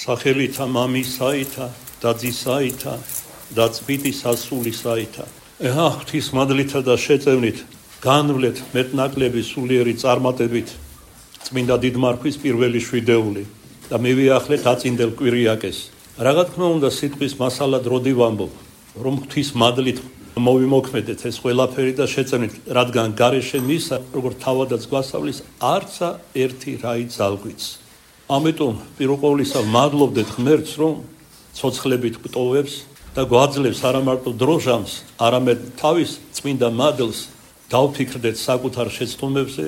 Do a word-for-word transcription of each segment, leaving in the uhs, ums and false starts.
სახელითა მამისაითა და ძისაითა და წმინდის ასულისაითა. ეხა ღვთისმადლითა და შეწევნით განვლეთ მეტნაკლები სულიერი წარმატებით წმინდა დიდმარხვის პირველი შვიდეული და მივიახლეთ აწინდელ კვირიაკეს. რა თქმა უნდა სიტყვის მასალად როდი ვამბობ, რომ ღვთისმადლით მოვიმოქმედეთ ეს ყველაფერი და შეწევნით, რადგან გარეშე მისა, როგორც თავადაც გვასწავლის, არცა ერთი რაი ძალგვიც. ამიტომ პირველ ყოვლისა მადლობდეთ ღმერთს, რომ ცოცხლებით გვტოვებს და გვაძლევს არა მარტო დროჟამს, არამედ თავის წმინდა მადლს დავფიქრდეთ საკუთარ შეცდომებზე,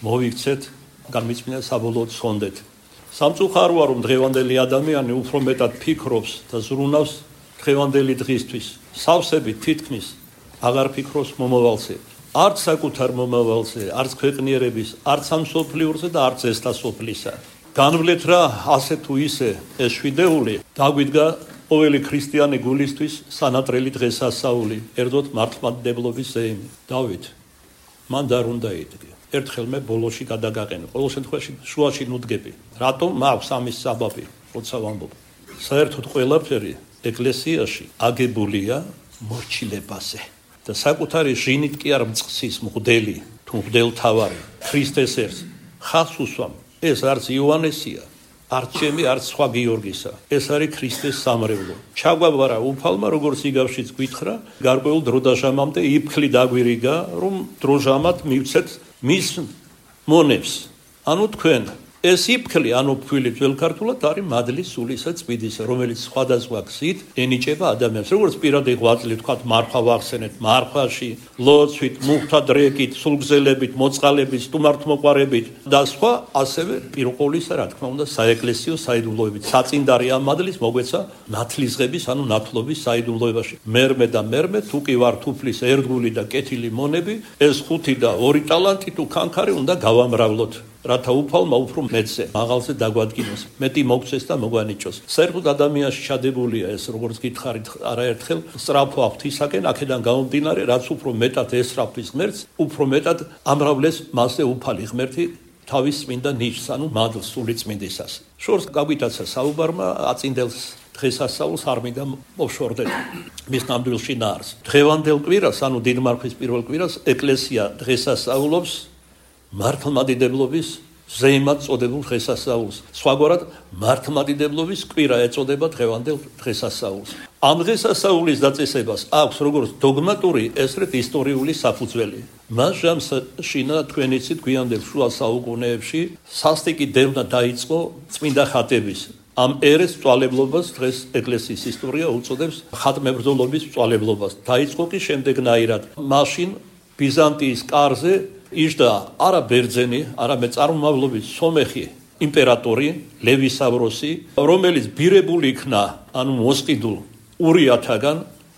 მოვიქცეთ, განმიწმინდა საბოლოოდ სხონდეთ. სამწუხაროა, რომ დღევანდელი ადამიანი უფრო მეტად ფიქრობს და ზრუნავს დღევანდელი დღისთვის. სავსებით თითქმის აღარ ფიქრობს მომავალზე. არც საკუთარ მომავალზე, არც ქვეყნიერების, არც ამ სოფლიურზე და არც ესთა სოფლისა. განვლეთ რა ასე თუ ისე ეს შვიდეული დაგვიდგა ყოველი ქრისტიანი გულისთვის სანატრელი დღესასწაული, ერთდროულად მართლმადიდებლობის ზეიმი. დავით, მან და არ უნდა იდგე. ერთხელ მე ბოლოში გადაგაყენე. ყოველ შემთხვევაში შუაში ნუდგები. რატომ მაქვს ამის საბაბი, როცა ვამბობ. საერთოდ ყველაფერი ეკლესიაში აგებულია მორჩილებაზე და საკუთარი ჟინით კი არ მწყსის მღვდელი თუ მღვდელთავარი ქრისტეს ერთს ხალხს უსვამ. ეს არც იოანესია, არც ჩემი, არც სხვა გიორგისა. ეს არის ქრისტეს სამრევლო. ჩაგვაბარა უფალმა, როგორც იგავშიც გვითხრა, გარკვეულ დროდაჟამამდე იფქლი დაგვირიგა, რომ დროჟამად მივცეთ მის მონებს. ანუ თქვენ ეს იფქლი, ანუ ფქვილი ძველ ქართულად არის მადლის სულისა წმინდისა, რომელიც სხვადასხვა გზით ენიჭება ადამიანს. როგორც პირადი ღვაწლით, თქვათ, მარხვა ვახსენეთ, მარხვაში, ლოცვით, მუხთა დრეკით, სულგზელებით, მოწყალებით, სტუმართმოყვარებით და სხვა, ასევე პირველ ყოვლისა, რა თქმა უნდა, საეკლესიო საიდუმლოებით. საწინდარი ამ მადლის მოგვეცა ნათლისღების, ანუ ნათლობის საიდუმლოებაში. მერმე და მერმე, თუ კი ვარ თუფლის ერთგული და კეთილი მონები, ეს ხუთი და ორი ტალანტი თუ ქანქარი უნდა გავამრავლოთ. რათა უფალმა უფრო მეცე მაღალზე დაგვადგინოს, მეტი მოგცეს და მოგვანიჭოს. საერთოდ ადამიანში ჩადებულია ეს, როგორც გითხარით არაერთხელ, სწრაფვა ღვთისაკენ, აქედან გამომდინარე, რაც უფრო მეტად ესწრაფვის ღმერთს, უფრო მეტად ამრავლეს მასზე უფალი ღმერთი თავის წმინდა ნიშს, ანუ მადლს სული წმინდისას. შორს გაგვიტაცა საუბარმა აწინდელს დღესასწაულს არ მინდა მოვშორდეთ მის ნამდვილ შინაარს. დღევანდელ კვირას, ანუ დიდმარხვის პირველ კვირას, ეკლესია დღესასწაულობს მართლმადიდებლობის ზეიმად წოდებულ დღესასწაულს. სხვაგვარად, მართლმადიდებლობის კვირა ეწოდება დღევანდელ დღესასწაულს. ამ დღესასწაულის დაწესებას აქვს როგორც დოგმატური, ესრეთ ისტორიული საფუძველი. მას ჟამსაშინა თქვენ იცით გვიანდელ შუა საუკუნეებში სასტიკი დევნა დაიწყო წმინდა ხატების. ამ ერეს მწვალებლობას დღეს ეკლესიის ისტორია უწოდებს ხატმებრძოლობის მწვალებლობას. დაიწყო კი შემდეგნაირად. მაშინ ბიზანტიის კარზე იჯდა არა ბერძენი, არამედ წარმომავლობის სომეხი იმპერატორი ლევი სავროსი, რომელიც ბირებული იქნა, ანუ მოსყიდულ ურიათაგან,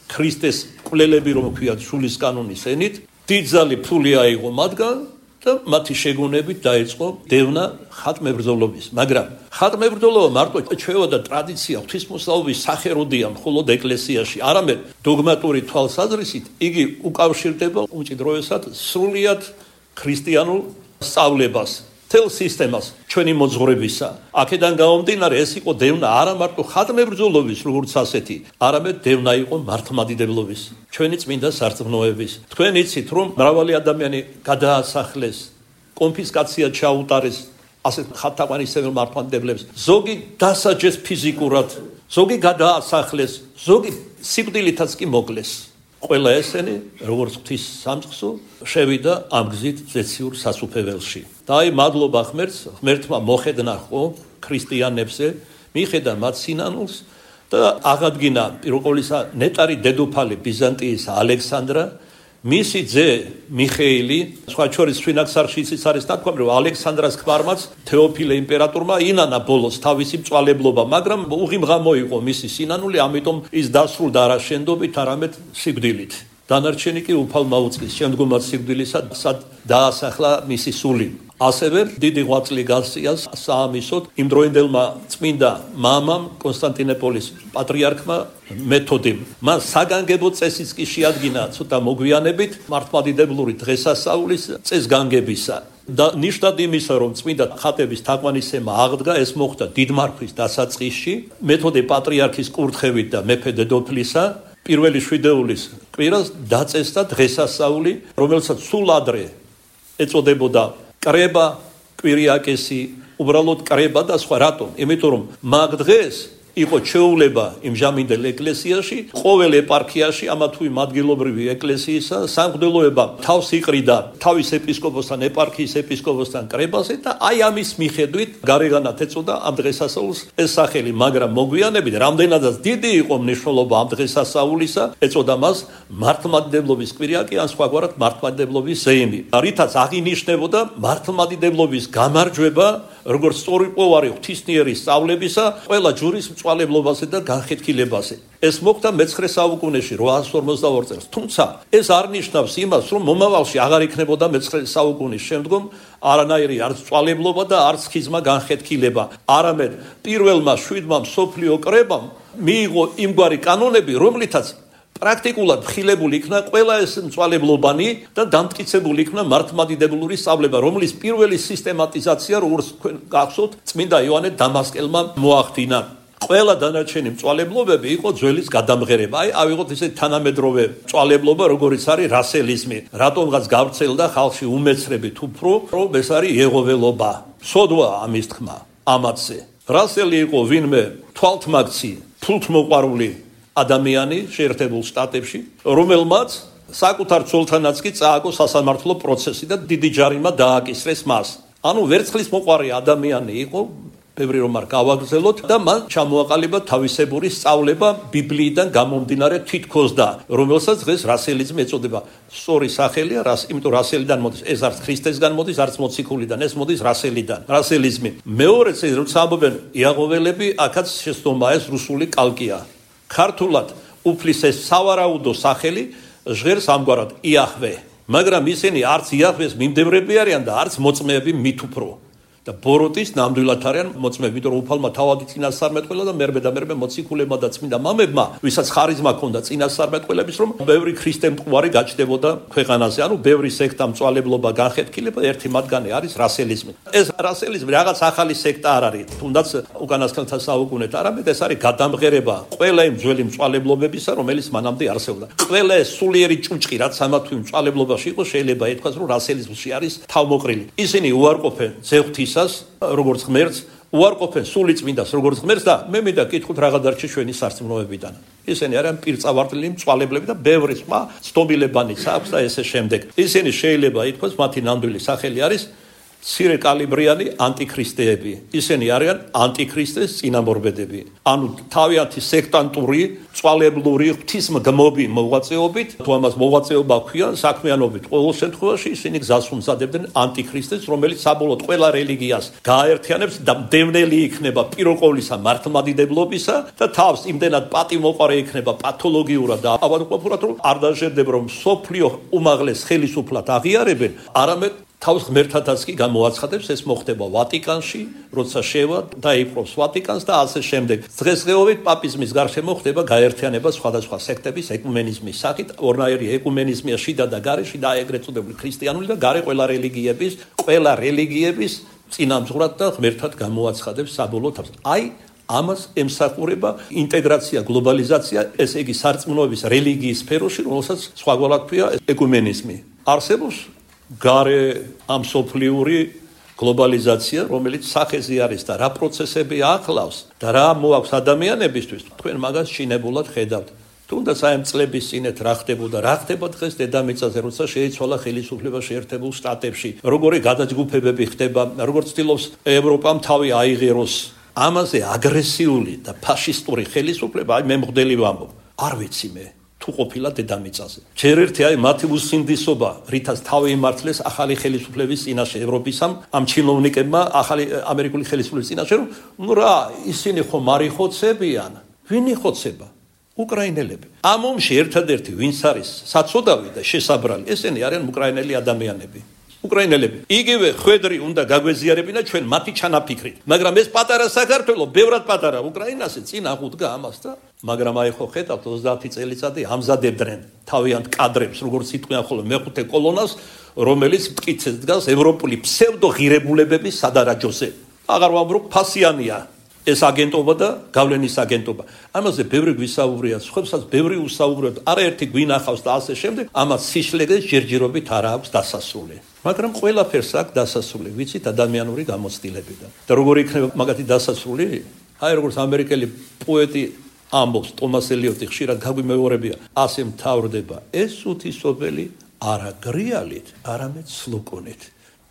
ქრისტეს კვლელები რომ ქვიათ შულის კანონის ენით, დიდძალი ფული აიღო მათგან და მათი შეგონებით დაიწყო დევნა ხატმებრძოლობის. მაგრამ ხატმებრძოლობა მარტო ჩვევა და ტრადიცია ღვთისმოსწავლობის სახელოდია მხოლოდ ეკლესიაში, არამედ დოგმატური თვალსაზრისით იგი უკავშირდება უმჭიდროესად სრულიად ქრისტიანულ სწავლებას, თელ სისტემას ჩვენი მოძღვრებისა. აქედან გამომდინარე, ეს იყო დევნა არა მარტო ხატმებრძოლობის, როგორც ასეთი, არამედ დევნა იყო მართლმადიდებლობის, ჩვენი წმინდა სარწმუნოების. თქვენ იცით, რომ მრავალი ადამიანი გადაასახლეს, კონფისკაცია ჩაუტარეს ასეთ ხატთაყვანისმცემელ მართლმადიდებლებს. ზოგი დასაჯეს ფიზიკურად, ზოგი გადაასახლეს, ზოგი სიკვდილითაც კი მოკლეს. ყველა ესენი, როგორც ღვთის სამწყსო, შევიდა ამ გზით ზეციურ სასუფეველში. და აი მადლობა ღმერთს, ღმერთმა მოხედნა ხო ქრისტიანებზე, მიხედა მათ სინანულს და აღადგინა პირველ ყოვლისა ნეტარი დედოფალი ბიზანტიის ალექსანდრა, მისი ძე მიხეილი, სხვა შორის სვინაქსარში იცის არის ნათქვამი, რომ ალექსანდრას ქმარმაც თეოფილე იმპერატორმა ინანა ბოლოს თავისი მწვალებლობა, მაგრამ უღიმღა მოიყო მისი სინანული, ამიტომ ის დასრულდა არა შენდობით, არამედ სიკვდილით. დანარჩენი კი უფალმა უწყის, შემდგომაც სიკვდილისა, სად დაასახლა მისი სული. ასევე დიდი ღვაწლი გასწია საამისოდ იმდროინდელმა წმინდა მამამ კონსტანტინოპოლის პატრიარქმა მეთოდიმ. მან საგანგებო წესიც კი შეადგინა ცოტა მოგვიანებით მართლმადიდებლური დღესასწაულის წესგანგებისა. და ნიშნად იმისა, რომ წმინდა ხატების თაყვანისცემა აღდგა, ეს მოხდა დიდმარხვის დასაწყისში, მეთოდე პატრიარქის კურთხევით და მეფე დედოფლისა, პირველი შვიდეულის კვირას დაწესდა დღესასწაული, რომელსაც სულ ადრე ეწოდებოდა კრება, კვირიაკესი, უბრალოდ კრება და სხვა. რატომ? იმიტომ რომ მაგ დღეს იყო ჩეულება იმჟამინდელ ეკლესიაში, ყოველ ეპარქიაში ამა თუ იმ ადგილობრივი ეკლესიისა სამღვდელოება თავს იყრიდა თავის ეპისკოპოსთან, ეპარქიის ეპისკოპოსთან კრებაზე და აი ამის მიხედვით გარეგანად ეწოდა ამ დღესასწაულს ეს სახელი, მაგრამ მოგვიანებით რამდენადაც დიდი იყო მნიშვნელობა ამ დღესასწაულისა, ეწოდა მას მართლმადიდებლობის კვირიაკი ან სხვაგვარად მართლმადიდებლობის ზეიმი, რითაც აღინიშნებოდა მართლმადიდებლობის გამარჯვება როგორც სწორიყვოვარი ღვთისმიერი სწავლებისა ყველა ჯურის მწვალებლობაზე და განხეთქილებაზე. ეს მოხდა მეცხრე საუკუნეში ოთხ ათას ორმოცდაორ წელს. თუმცა ეს არ ნიშნავს იმას, რომ მომავალში აღარ იქნებოდა მეცხრე საუკუნის შემდგომ არანაირი არც მწვალებლობა და არც ხიზმა განხეთქილება. არამედ პირველმა შვიდმა მსოფლიო კრებამ მიიღო იმგვარი კანონები, რომლითაც პრაქტიკულად ხილებული იქნა ყველა ეს მწვალებლობანი და დამტკიცებული იქნა მართლმადიდებლური სწავლება, რომლის პირველი სისტემატიზაცია, როგორც თქვენ გახსოვთ, წმინდა იოანე დამასკელმა მოახდინა. ყველა დანარჩენი მწვალებლობები იყო ძველის გადამღერება. აი, ავიღოთ ესე თანამედროვე მწვალებლობა, როგორიც არის რასელიზმი. რატომღაც გავრცელდა ხალხში უმეცრებით უფრო, რომ ეს არის იეღოველობა. სოდვა ამის თქმა ამათზე. რასელი იყო ვინმე თვალთმაგცი, ფულთმოყვარული ადამიანი შეერთებულ შტატებში, რომელმაც საკუთარ ცოლთანაც კი წააგო სასამართლო პროცესი და დიდი ჯარიმა დააკისრეს მას. ანუ ვერცხლის მოყვარე ადამიანი იყო, ბევრი რომ არ გავაგრძელოთ და მან ჩამოაყალიბა თავისებური სწავლება ბიბლიიდან გამომდინარე თითქოს და რომელსაც დღეს რასელიზმი ეწოდება. სწორი სახელია, რას, იმიტომ რასელიდან მოდის, ეს არც ქრისტესგან მოდის, არც მოციქულიდან, ეს მოდის რასელიდან. რასელიზმი. მეორეც როცა ამბობენ იაღოველები, აქაც შეცდომა ეს რუსული კალკია. ქართულად უფლის ეს სავარაუდო სახელი ჟღერს ამგვარად იაჰვე, მაგრამ ისინი არც იაჰვეს მიმდევრები არიან და არც მოწმეები მით უფრო. და ბოროტის ნამდვილად არიან მოწმეები, იმიტომ რომ უფალმა თავადი წინასწარმეტყველა და მერმე და მერმე მოციქულებმა და წმინდა მამებმა, ვისაც ხარიზმა ჰქონდა წინასწარმეტყველების, რომ ბევრი ქრისტე მტკვარი გაჩნდებოდა ქვეყანაზე, ანუ ბევრი სექტა მწვალებლობა განხეთქილება, ერთი მათგანი არის რასელიზმი. ეს რასელიზმი რაღაც ახალი სექტა არ არის, თუნდაც უკანასკნელთა საუკუნეთ, არამედ ეს არის გადამღერება ყველა იმ ძველი მწვალებლობებისა, რომელიც მანამდე არსებობდა. ყველა ეს სულიერი ჭუჭყი, რაც ამა თუ იმ მწვალებლობაში იყო, შეიძლება ითქვას, რომ რასელიზმში არის თავმოყრილი. ისინი უარყოფენ ზეღვთის როგორც ღმერთს, უარყოფენ სული წმინდას როგორც ღმერთს და მე მინდა კითხოთ რა გადარჩა ჩვენი სარწმუნოებიდან. ისინი არიან პირწავართლილი მწვალებლები და ბევრი სხვა ცნობილებანიც აქვს და ესე შემდეგ. ისინი შეიძლება ითქვას, მათი ნამდვილი სახელი არის მცირე კალიბრიანი ანტიქრისტეები. ისინი არიან ანტიქრისტეს წინამორბედები. ანუ თავიანთი სექტანტური, მწვალებლური ღვთისმგმობი მოღვაწეობით, თუ ამას მოღვაწეობა ქვიან, საქმიანობით ყოველ შემთხვევაში ისინი გზას უმზადებდნენ ანტიქრისტეს, რომელიც საბოლოოდ ყველა რელიგიას გააერთიანებს და მდევნელი იქნება პიროყოლისა მართლმადიდებლობისა და თავს იმდენად პატიმოყარე იქნება პათოლოგიურად და ავადმყოფურად, რომ არ დაჟერდება, რომ სოფლიო უმაღლეს ხელისუფლად აღიარებენ, არამედ თავს ღმერთადაც კი გამოაცხადებს. ეს მოხდება ვატიკანში, როცა შევა დაიპყრობს ვატიკანს და ასე შემდეგ. დღესდღეობით პაპიზმის გარშემო ხდება გაერთიანება სხვადასხვა სექტების ეკუმენიზმის სახით. ორნაირი ეკუმენიზმია შიდა და გარე, შიდა ეგრეთ წოდებული ქრისტიანული და გარე ყველა რელიგიების, ყველა რელიგიების წინამძღვრად და ღმერთად გამოაცხადებს საბოლოო თავს. აი ამას ემსახურება ინტეგრაცია, გლობალიზაცია, ესე იგი სარწმუნოების რელიგიის სფეროში, რომელსაც სხვაგვარად ქვია ეკუმენიზმი. არსებობს გარე ამ სოფლიური გლობალიზაცია, რომელიც სახეზე არის და რა პროცესები ახლავს და რა მოაქვს ადამიანებისთვის, თქვენ მაგას შინებულად ხედავთ. თუნდაც აი ამ წლების წინეთ რა ხდებოდა, რა ხდება დღეს დედამიწაზე, როცა შეიცვალა ხელისუფლება შეერთებულ შტატებში, როგორი გადაჯგუფებები ხდება, როგორც ცდილობს ევროპამ თავი აიღეროს. ამაზე აგრესიული და ფაშისტური ხელისუფლება, აი მე მღვდელი ვამბობ, არ ვიცი მე. თუ ყოფილა დედამიწაზე. ჯერ ერთი აი მათი უსინდისობა, რითაც თავი იმართლეს ახალი ხელისუფლების წინაშე ევროპისამ, ამ ჩინოვნიკებმა ახალი ამერიკული ხელისუფლების წინაშე, რომ ნუ რა, ისინი ხომ არ იხოცებიან? ვინ იხოცება? უკრაინელები. ამ ომში ერთადერთი ვინც არის საცოდავი და შესაბრალი, ესენი არიან უკრაინელი ადამიანები. უკრაინელები. იგივე ხვედრი უნდა გაგვეზიარებინა ჩვენ მათი ჩანაფიქრით. მაგრამ ეს პატარა საქართველო, ბევრად პატარა უკრაინასე წინ აღუდგა ამას და მაგრამ აი ხო ხედავთ ოცდაათი წელიწადი ამზადებდნენ თავიანთ კადრებს, როგორც იტყვიან ხოლმე მეხუთე კოლონას, რომელიც მტკიცე დგას ევროპული ფსევდო ღირებულებების სადარაჯოზე. აღარ ვამბობ ფასიანია ეს აგენტობა და გავლენის აგენტობა. ამაზე ბევრი გვისაუბრია, სხვებსაც ბევრი უსაუბროთ, არაერთი გვინახავს და ასე შემდეგ, ამას სიშლეგეს ჯერჯერობით არ აქვს დასასრული. მაგრამ ყველაფერს აქვს დასასრული, ვიცით ადამიანური გამოცდილებიდან. და როგორ იქნება მაგათი დასასრული? აი როგორც ამერიკელი პოეტი ამბობს, ტომას ელიოტი ხშირად გაგვიმეორებია, ასე მთავრდება ეს უთისობელი არა გრიალით, არამედ სლოკონით.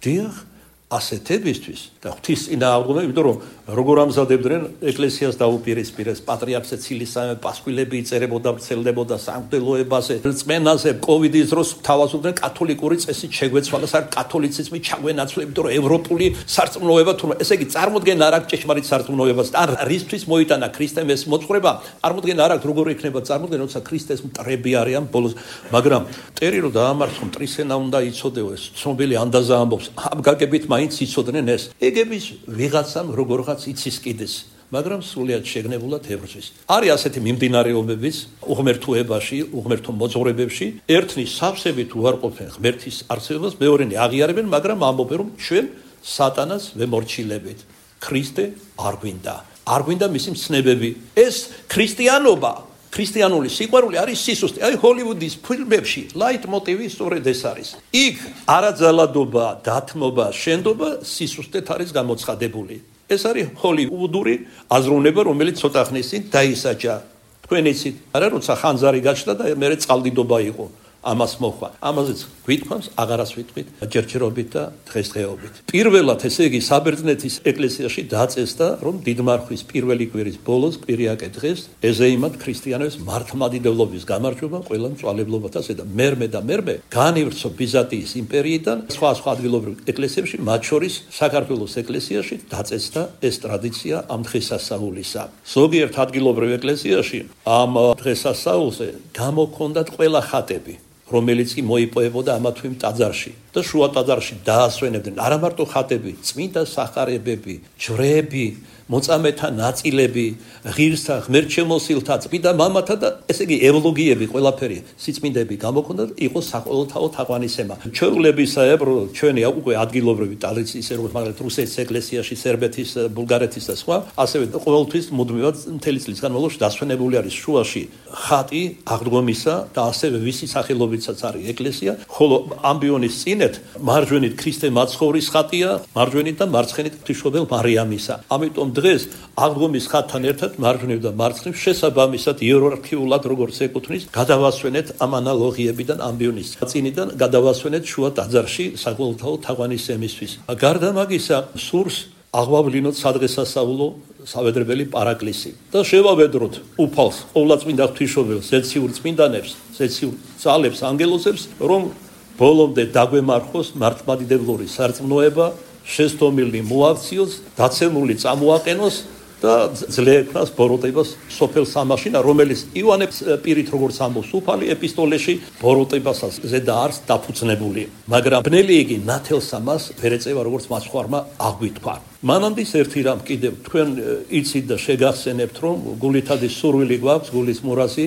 დიახ, ასეთებისთვის და ღვთის წინააღმდეგ, იმიტომ რომ როგორ ამზადებდნენ ეკლესიას დაუპირისპირეს, პატრიარქს ცილისამე პასკვილები იწერებოდა, ვრცელდებოდა სამღვდელოებაზე, რწმენაზე, კოვიდის დროს თავაზობდნენ კათოლიკური წესით შეგვეცვალა, სარ კათოლიციზმი ჩაგვენაცვლა, იმიტომ რომ ევროპული სარწმუნოება თუ ესე იგი წარმოდგენ არ აქვს ჭეშმარიტ სარწმუნოებას, ან რისთვის მოიტანა ქრისტემ ეს მოწყრება, წარმოდგენ არ აქვს როგორ იქნება წარმოდგენ, როცა ქრისტეს მტრები არიან ბოლოს, მაგრამ ტერი რომ დაამარცხო მტრისენა უნდა იცოდეო ეს ცნობილი ანდაზა ამბობს, ამ გაგებით მაინც იცოდნენ ეს. ეგების ვიღაცამ როგორღაც იცის კიდეს, მაგრამ სრულიად შეგნებულად ებრძვის. არის ასეთი მიმდინარეობებიც უღმერთოებაში, უღმერთო მოძღვრებებში, ერთნი სავსებით უარყოფენ ღმერთის არსებობას, მეორენი აღიარებენ, მაგრამ ამბობენ, რომ ჩვენ სატანას ვემორჩილებით. ქრისტე არ გვინდა. არ გვინდა მისი მცნებები. ეს ქრისტიანობა ქრისტიანული სიყვარული არის სისუსტე. აი ჰოლივუდის ფილმებში ლაით მოტივი სწორედ ეს არის. იქ არაძალადობა, დათმობა, შენდობა სისუსტეთ არის გამოცხადებული. ეს არის ჰოლივუდური აზროვნება, რომელიც ცოტა ხნის წინ დაისაჯა. თქვენ იცით, არა როცა ხანძარი გაჩნდა და მე წყალდიდობა იყო. ამას მოხვა. ამაზეც გვითქვამს, აღარას ვიტყვით, ჯერჯერობით და დღესდღეობით. პირველად ესე იგი საბერძნეთის ეკლესიაში დაწესდა, რომ დიდმარხვის პირველი კვირის ბოლოს კვირიაკე დღეს ეზეიმათ ქრისტიანების მართლმადიდებლობის გამარჯვება ყველა მწვალებლობათა და მერმე და მერმე განივრცო ბიზანტიის იმპერიიდან სხვა სხვა ადგილობრივ ეკლესიებში, მათ შორის საქართველოს ეკლესიაში დაწესდა ეს ტრადიცია ამ დღესასწაულისა. ზოგიერთ ადგილობრივ ეკლესიაში ამ დღესასწაულზე გამოქონდათ ყველა ხატები, რომელიც კი მოიპოვებოდა ამა თუ იმ ტაძარში და შუა ტაძარში დაასვენებდნენ არა მარტო ხატები, წმინდა სახარებები, ჯვრები, მოწამეთა ნაწილები, ღირსთა, ღმერთშემოსილთა, წმინდა მამათა და ესე იგი ევლოგიები, ყველაფერი სიწმინდები გამოქონდათ, იყო საყოველთაო თაყვანისცემა. ჩვეულებისაებრ ჩვენი უკვე ადგილობრივი ტრადიციის, როგორც მაგალითად რუსეთის ეკლესიაში, სერბეთის, ბულგარეთის და სხვა, ასევე ყოველთვის მუდმივად მთელი წლის განმავლობაში დასვენებული არის შუაში ხატი აღდგომისა და ასევე ვისი სახელობითაც არის ეკლესია, ხოლო ამბიონის წინეთ მარჯვენით ქრისტე მაცხოვრის ხატია, მარჯვენით და მარცხენით ღვთისმშობელ მარიამისა. ამიტომ დღეს აღდგომის ხატთან ერთად მარჯვნივ და მარცხნივ შესაბამისად იერარქიულად როგორც ეკუთვნის, გადავასვენეთ ამ ანალოგიებიდან ამბიონის წინიდან გადავასვენეთ შუა ტაძარში საყოველთაო თაყვანისცემისთვის. გარდა მაგისა, სურს აღვავლინოთ სადღესასწაულო სავედრებელი პარაკლისი და შევავედროთ უფალს, ყოვლადწმინდა ღვთისმშობელს, ზეციურ წმინდანებს, ზეციურ ძალებს, ანგელოზებს, რომ ბოლომდე დაგვემარხოს მართლმადიდებლური სარწმუნოება, შესტომილი მოაქციოს, დაცემული წამოაყენოს და ძლექნას ბოროტებას სოფელ სამაშინა, რომელიც ივანეს პირით როგორც ამბობს უფალი ეპისტოლეში ბოროტებასაც ზედა არს დაფუძნებული. მაგრამ ბნელი იგი ნათელს ამას ვერ ეწევა, როგორც მაცხვარმა აღვიქვა. მანამდე ერთი რამ კიდევ თქვენ იცით და შეგახსენებთ, რომ გულითადი სურვილი გვაქვს, გულის მურასი,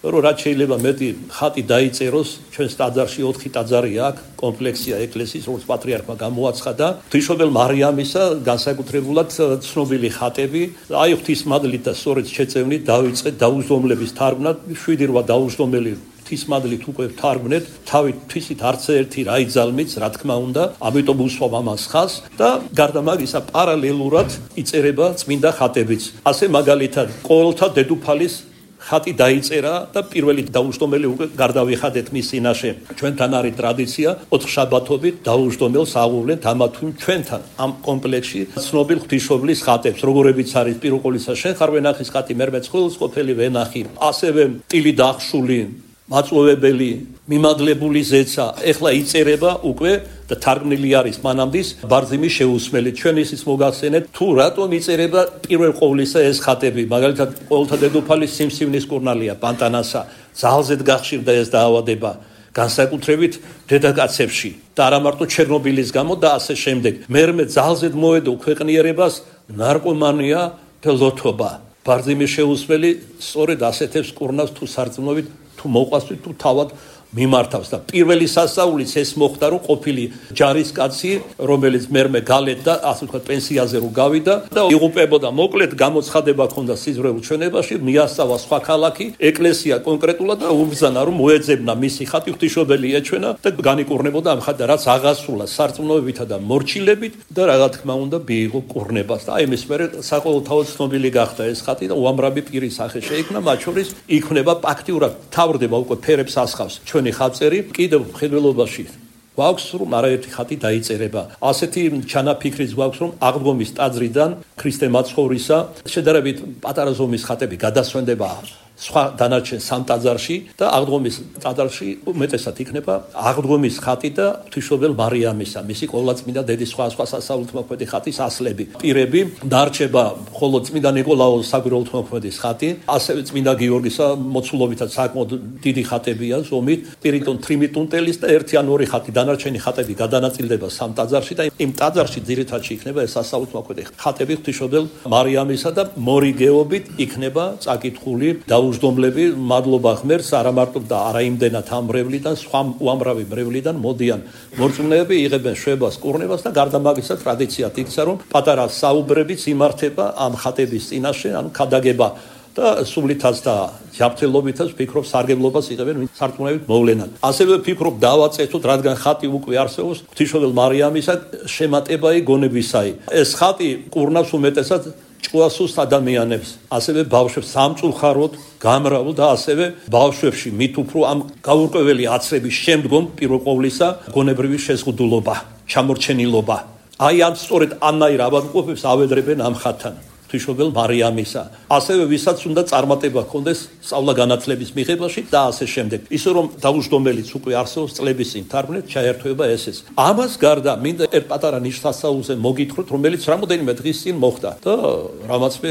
რომ რაც შეიძლება მეტი ხატი დაიწეროს, ჩვენს ტაძარში ოთხი ტაძარი აქვს, კომპლექსია ეკლესიის, როგორც პატრიარქმა გამოაცხადა, ღვთისმშობელ მარიამისა განსაკუთრებულად ცნობილი ხატები, აი ღვთისმადლით და სწორედ შეწევნით დავიწყეთ დაუჯდომლების თარგმნა, შვიდი რვა დაუჯდომელი ღვთისმადლით უკვე თარგმნეთ, თავით თვისით არც ერთი რა იძალმიც, რა თქმა უნდა, ამიტომ უსვამ ამას ხაზს და გარდა მაგისა პარალელურად იწერება წმინდა ხატებიც. ასე მაგალითად, ყოველთა დედუფალის ხატი დაიწერა და პირველი დაუჯდომელი უკვე გარდავიხადეთ მის წინაშე. ჩვენთან არის ტრადიცია ოთხშაბათობით დაუჯდომელს აღუვლენთ ამა თუ ჩვენთან ამ კომპლექსში ცნობილ ღვთისმშობლის ხატებს, როგორებიც არის პირველ ყოვლისა შენ ხარ ვენახის ხატი, მერმე ცხვილს ყოფილი ვენახი, ასევე ტილი დახშული, მაწვევებელი, მიმადლებული ზეცა, ეხლა იწერება უკვე და თარგმნილი არის მანამდის ბარძიმის შეუსმელი. ჩვენ ისიც მოგახსენეთ, თუ რატომ იწერება პირველ ყოვლისა ეს ხატები, მაგალითად ყოველთა დედოფალის სიმსივნის კურნალია, პანტანასა, ძალზედ გახშირდა ეს დაავადება. განსაკუთრებით დედაკაცებში და არა მარტო ჩერნობილის გამო და ასე შემდეგ. მერმე ძალზედ მოედო ქვეყნიერებას ნარკომანია და ლოთობა. ბარძიმი შეუსმელი სწორედ ასეთებს კურნავს თუ სარწმუნოებით თუ მოყვასვით თუ თავად მიმართავს და პირველი სასწაულიც ეს მოხდა რომ ყოფილი ჯარისკაცი რომელიც მერმე გალეთ და ასე ვთქვათ პენსიაზე რო გავიდა და იღუპებოდა მოკლედ გამოცხადება ქონდა სიზრუელ ჩვენებაში მიასწავა სხვა ქალაქი ეკლესია კონკრეტულად და უბრძანა რომ მოეძებნა მისი ხატი ღვთისმშობელი ეჩვენა და განიკურნებოდა ამ ხატი რაც აღასრულა სარწმუნოებითა და მორჩილებით და რა თქმა უნდა მიიღო კურნებას და აი მის მერე საყოველთაოდ ცნობილი გახდა ეს ხატი და უამრავი პირის სახე შეიქმნა მათ შორის იქმნება ფაქტიურად თავდება უკვე ფერებს ასხავს ჩვენი ხატწერი კიდევ მხედველობაში გვაქვს რომ არაერთი ხატი დაიწერება ასეთი ჩანაფიქრიც გვაქვს რომ აღდგომის ტაძრიდან ქრისტე მაცხოვრისა შედარებით პატარა ზომის ხატები გადასვენდება სხვა დანარჩენ სამ ტაძარში და აღდგომის ტაძარში უმეტესად იქნება აღდგომის ხატი და ღვთისმშობელ მარიამისა მისი ყოვლადწმინდა დედის სხვა სხვა სასწაულთმოქმედი ხატის ასლები პირები დარჩება ხოლო წმინდა ნიკოლაოს საგვირაულთმოქმედის ხატი ასევე წმინდა გიორგისა მოცულობითაც საკმაოდ დიდი ხატებია ზომით პირიტონ ტრიმიტუნტელის და ერთი ან ორი ხატი დანარჩენი ხატები გადანაწილდება სამ ტაძარში და იმ ტაძარში ძირითადში იქნება ეს სასწაულთმოქმედი ხატები ღვთისმშობელ მარიამისა და მორიგეობით იქნება წაკითხული და უჯდომლები მადლობა ღმერთს არა მარტო და არა იმდენად ამ მრევლიდან სხვა უამრავი მრევლიდან მოდიან მორწმუნეები იღებენ შვებას კურნებას და გარდა მაგისა ტრადიციად იქცა რომ პატარა საუბრებიც იმართება ამ ხატების წინაშე ანუ ქადაგება და სულითაც და ჯანმრთელობითაც ვფიქრობ სარგებლობას იღებენ სარწმუნოებით მოვლენად ასევე ვფიქრობ დავაწესოთ რადგან ხატი უკვე არსებობს ღვთისმშობელ მარიამისა შემატებაი გონებისაი ეს ხატი კურნავს უმეტესად ჭკუასუს ადამიანებს ასევე ბავშვებს სამწუხაროდ გამრავალ და ასევე ბავშვებში მით უფრო ამ გაურკვეველი აცრების შემდგომ პირველ ყოვლისა გონებრივი შეზღუდულობა ჩამორჩენილობა აი ამ სწორედ ამნაირ ავადმყოფებს ავედრებენ ამ ხატთან ღვთისმშობელ მარიამისა ასევე ვისაც უნდა წარმატება ჰქონდეს სწავლა-განათლების მიღებაში და ასე შემდეგ ისე რომ დაუჯდომელიც უკვე არსებობს წლების წინ თარგმნეთ ჩაერთვება ესეც ამას გარდა მინდა ერთ პატარა ნიშნასაულზე მოგითხროთ რომელიც რამოდენიმე დღის წინ მოხდა და რამაც მე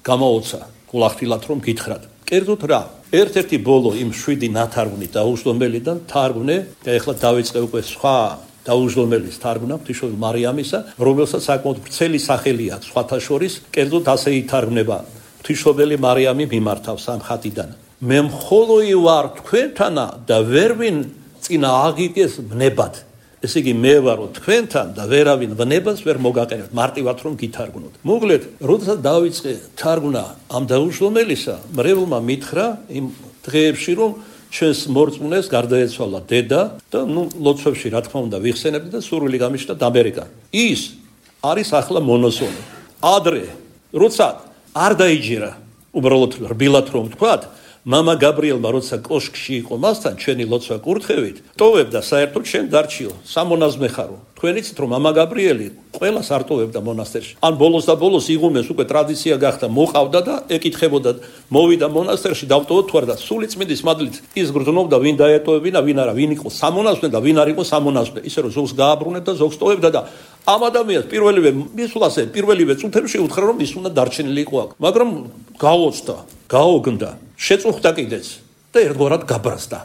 გამაოცა გულახდილად რომ გითხრათ კერძოდ რა ერთ-ერთი ბოლო იმ შვიდი ნათარგმნი დაუჯდომელიდან თარგმნე და ეხლა დავიწყე უკვე სხვა დაუჯდომელის თარგმნა ღვთისმშობელ მარიამისა, რომელსაც საკმაოდ ვრცელი სახელი აქვს სხვათა შორის, კერძოდ ასე ითარგმნება ღვთისმშობელი მარიამი მიმართავს ამ ხატიდან. მე მხოლოი ვარ თქვენთანა და ვერვინ წინა აღიგეს ვნებად. ესე იგი მე ვარო თქვენთან და ვერავინ ვნებას ვერ მოგაყენებთ, მარტივად რომ გითარგმნოთ. მოგლეთ, როდესაც დავიწყე თარგმნა ამ დაუჯდომელისა, მრევლმა მითხრა იმ დღეებში რომ ჩვენს მორწმუნეს გარდაეცვალა დედა და ნუ ლოცვებში რა თქმა უნდა ვიხსენებდი და სურვილი გამიშთა ამერიკა. ის არის ახლა მონოსონი. ადრე როცა არ დაიჯერა უბრალოდ რბილად რომ ვთქვათ, მამა გაბრიელმა როცა კოშკში იყო მასთან ჩვენი ლოცვა კურთხევით, ტოვებდა საერთოდ შენ დარჩიო, სამონაზმე ხარო. თქვენიცით რომ მამა გაბრიელი ყველას არ ტოვებდა მონასტერში. ან ბოლოს და ბოლოს იღუმეს უკვე ტრადიცია გახდა, მოყავდა და ეკითხებოდა, მოვიდა მონასტერში, დავტოვოთ თუ არა და სული წმინდის მადლით ის გრძნობდა ვინ დაეტოვებინა, ვინ არა, ვინ იყო სამონაზმე და ვინ არ იყო სამონაზმე. ისე რომ ზოგს გააბრუნებდა, ზოგს ტოვებდა და ამ ადამიანს პირველივე მისვლაზე, პირველივე წუთებში უთხრა რომ ის უნდა დარჩენილი იყო აქ. მაგრამ გაოცდა, გაოგნდა, შეწუხდა კიდეც და ერთგვარად გაბრაზდა.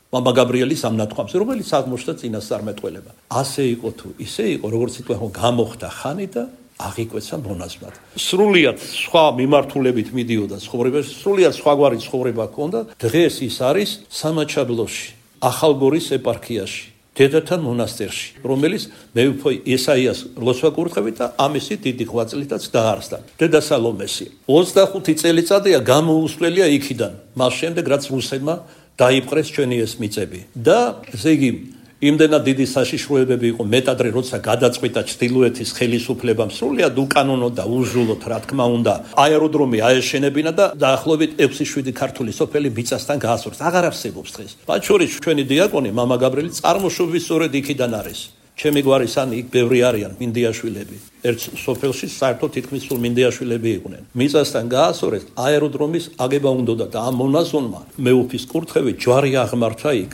მამა გაბრიელის ამ ნათქვამს, რომელიც აღმოჩნდა წინასწარმეტყველება. ასე იყო თუ ისე იყო, როგორც იტყვი, გამოხდა ხანი და აღიკვეცა მონაზვნად. სრულიად სხვა მიმართულებით მიდიოდა ცხოვრებაში, სრულიად სხვაგვარი ცხოვრება ჰქონდა. დღეს ის არის სამაჩაბლოში, ახალგორის ეპარქიაში, დედათა მონასტერში, რომელიც მეუფე ესაიას ლოცვა კურთხევით და ამისი დიდი ღვაწლითაც დაარსდა. დედა სალომესი ოცდახუთი წელიწადია გამოუსვლელია იქიდან, მას შემდეგ რაც რუსებმა დაიპყრეს ჩვენი ეს მიწები და ესე იგი იმდენად დიდი საშიშროებები იყო მეტადრე როცა გადაწყვიტა ჩრდილოეთის ხელისუფლებამ სრულიად უკანონო და უზრუნოდ რა თქმა უნდა აეროდრომი აეშენებინა და დაახლოებით ექვსი შვიდი ქართული სოფელი მიწასთან გაასწორეს. აღარ არსებობს დღეს. მათ შორის ჩვენი დიაკონი მამა გაბრიელი წარმოშობის სწორედ იქიდან არის. ჩემი გვარის ან იქ ბევრი არიან მინდიაშვილები. ერთ სოფელში საერთოდ თითქმის სულ მინდიაშვილები იყვნენ. მიწასთან გაასწორეს აეროდრომის აგება უნდოდა და ამ მონაზონმა მეუფის კურთხევით ჯვარი აღმართა იქ.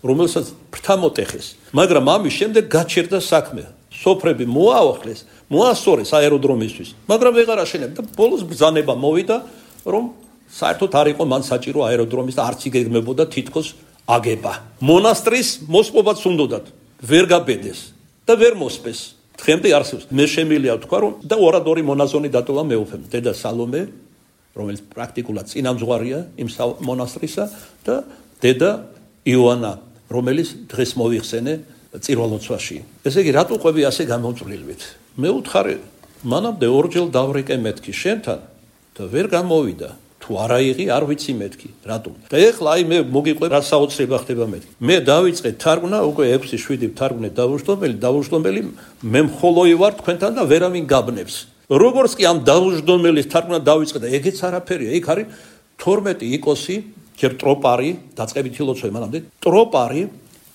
რომელსაც ფრთა მოტეხეს, მაგრამ ამის შემდეგ გაჩერდა საქმე. სოფრები მოაახლეს, მოასწორეს აეროდრომისთვის, მაგრამ ვეღარ აშენებდა. ბოლოს ბრძანება მოვიდა, რომ საერთოდ არ იყო მან საჭირო აეროდრომის და არც იგეგმებოდა თითქოს აგება. მონასტრის მოსპობაც უნდათ, ვერ გაბედეს და ვერ მოსპეს. დღემდე არსებობს. მე შემიძლია ვთქვა, რომ და ორადორი მონაზონი დატოვა მეუფემ, დედა სალომე, რომელიც პრაქტიკულად წინამძღვარია იმ მონასტრისა და დედა იოანა, რომელიც დღეს მოიხსენე წირვალოცვაში. ესე იგი, რატო ყვები ასე გამოწვლილვით? მე ვუთხარი, მანამდე ორჯერ დავრიკე მეთქი შენთან და ვერ გამოვიდა. თუ არა იღი, არ ვიცი მეთქი, რატომ? და ეხლა აი მე მოგიყვე რა საოცრება ხდება მეთქი. მე დავიწყე თარგმნა, უკვე ექვსი შვიდი თარგმნე დავუჯდომელი, დავუჯდომელი, მე მხოლოი ვარ თქვენთან და ვერავინ გაბნევს. როგორც კი ამ დავუჯდომელის თარგმნა დავიწყე და ეგეც არაფერია, იქ არის თორმეტი იკოსი, ჯერ ტროპარი, დაწყებითი ლოცვა მანამდე, ტროპარი,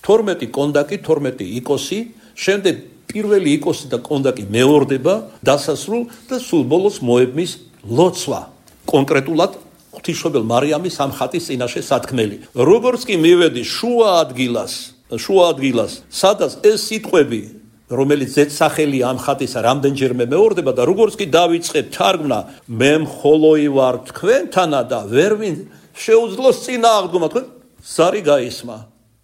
თორმეტი კონდაკი, თორმეტი იკოსი, შემდეგ პირველი იკოსი და კონდაკი მეორდება, დასასრულ და სულ ბოლოს მოებმის ლოცვა. კონკრეტულად ღვთისმშობელ მარიამის სამხატის წინაშე სათქმელი. როგორც კი მივედი შუა ადგილას, შუა ადგილას, სადაც ეს სიტყვები, რომელიც ზედსახელია ამ ხატისა, რამდენჯერმე მეორდება და როგორც კი დავიწყე თარგმნა, მე მხოლოი ვარ თქვენთანა და ვერვინ შეუძლოს წინააღმდგომა, თქვენ ზარი გაისმა,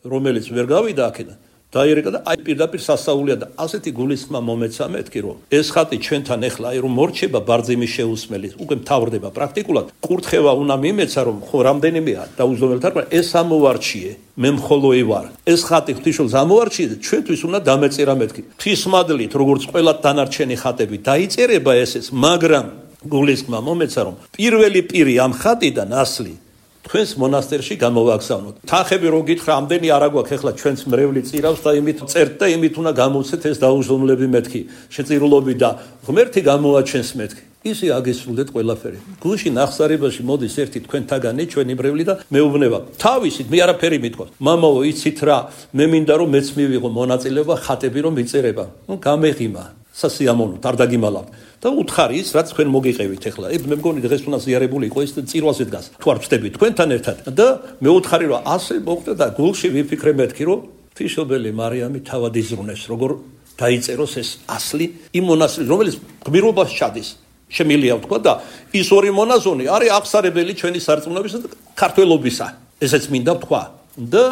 რომელიც ვერ გავიდა აქედან. დაირეკა და აი პირდაპირ სასაულია და ასეთი გულისხმა მომეცა მეთქი, რომ ეს ხატი ჩვენთან ეხლა აი რომ მორჩება ბარძიმის შეუსმელი, უკვე მთავრდება პრაქტიკულად. კურთხევა უნდა მიმეცა, რომ ხო რამდენიმეა დაუჯდომელი თარგმნა, ეს ამოვარჩიე, მე მხოლოი ვარ. ეს ხატი ღვთისმშობელს ამოვარჩიე და ჩვენთვის უნდა დამეწერა მეთქი. ღვთისმადლით, როგორც ყველა დანარჩენი ხატები დაიწერება ესეც, მაგრამ გულისხმა მომეცა, რომ პირველი პირი ამ ხატიდან ასლი თქვენს მონასტერში გამოვაგზავნოთ. თანხები რო გითხრა, ამდენი არა გვაქვს, ეხლა ჩვენს მრევლი წირავს და იმით წერთ და იმით უნდა გამოვცეთ ეს დაუჯდომლები მეთქი, შეწირულობი და ღმერთი გამოაჩენს მეთქი. ისი აგესრულეთ ყველაფერი. გულში ნახსარებაში მოდის ერთი თქვენთაგანი, ჩვენი მრევლი და მეუბნება. თავისით მე არაფერი მithქვა. მამაო, იცით რა, მე მინდა რომ მეც მივიღო მონაწილეობა ხატები რომ მიწერება. ნუ გამეღიმა. სასიამოვნოთ, არ დაგიმალავთ. და უთხარი ის, რაც თქვენ მოგიყევით ახლა. ეგ მე მგონი დღეს უნდა ზიარებული იყო ის წირვალზე დგას. თუ არ ვწდები თქვენთან ერთად და მე უთხარი რომ ასე მოხდა და გულში ვიფიქრე მეთქი რომ ღვთისმშობელი მარიამი თავად იზრუნეს, როგორ დაიწეროს ეს ასლი იმ მონასტრის, რომელიც გმირობას ჩადის. შემიძლია ვთქვა და ის ორი მონაზონი არის აღსარებელი ჩვენი სარწმუნოებისა და ქართველობისა. ესეც მინდა ვთქვა. და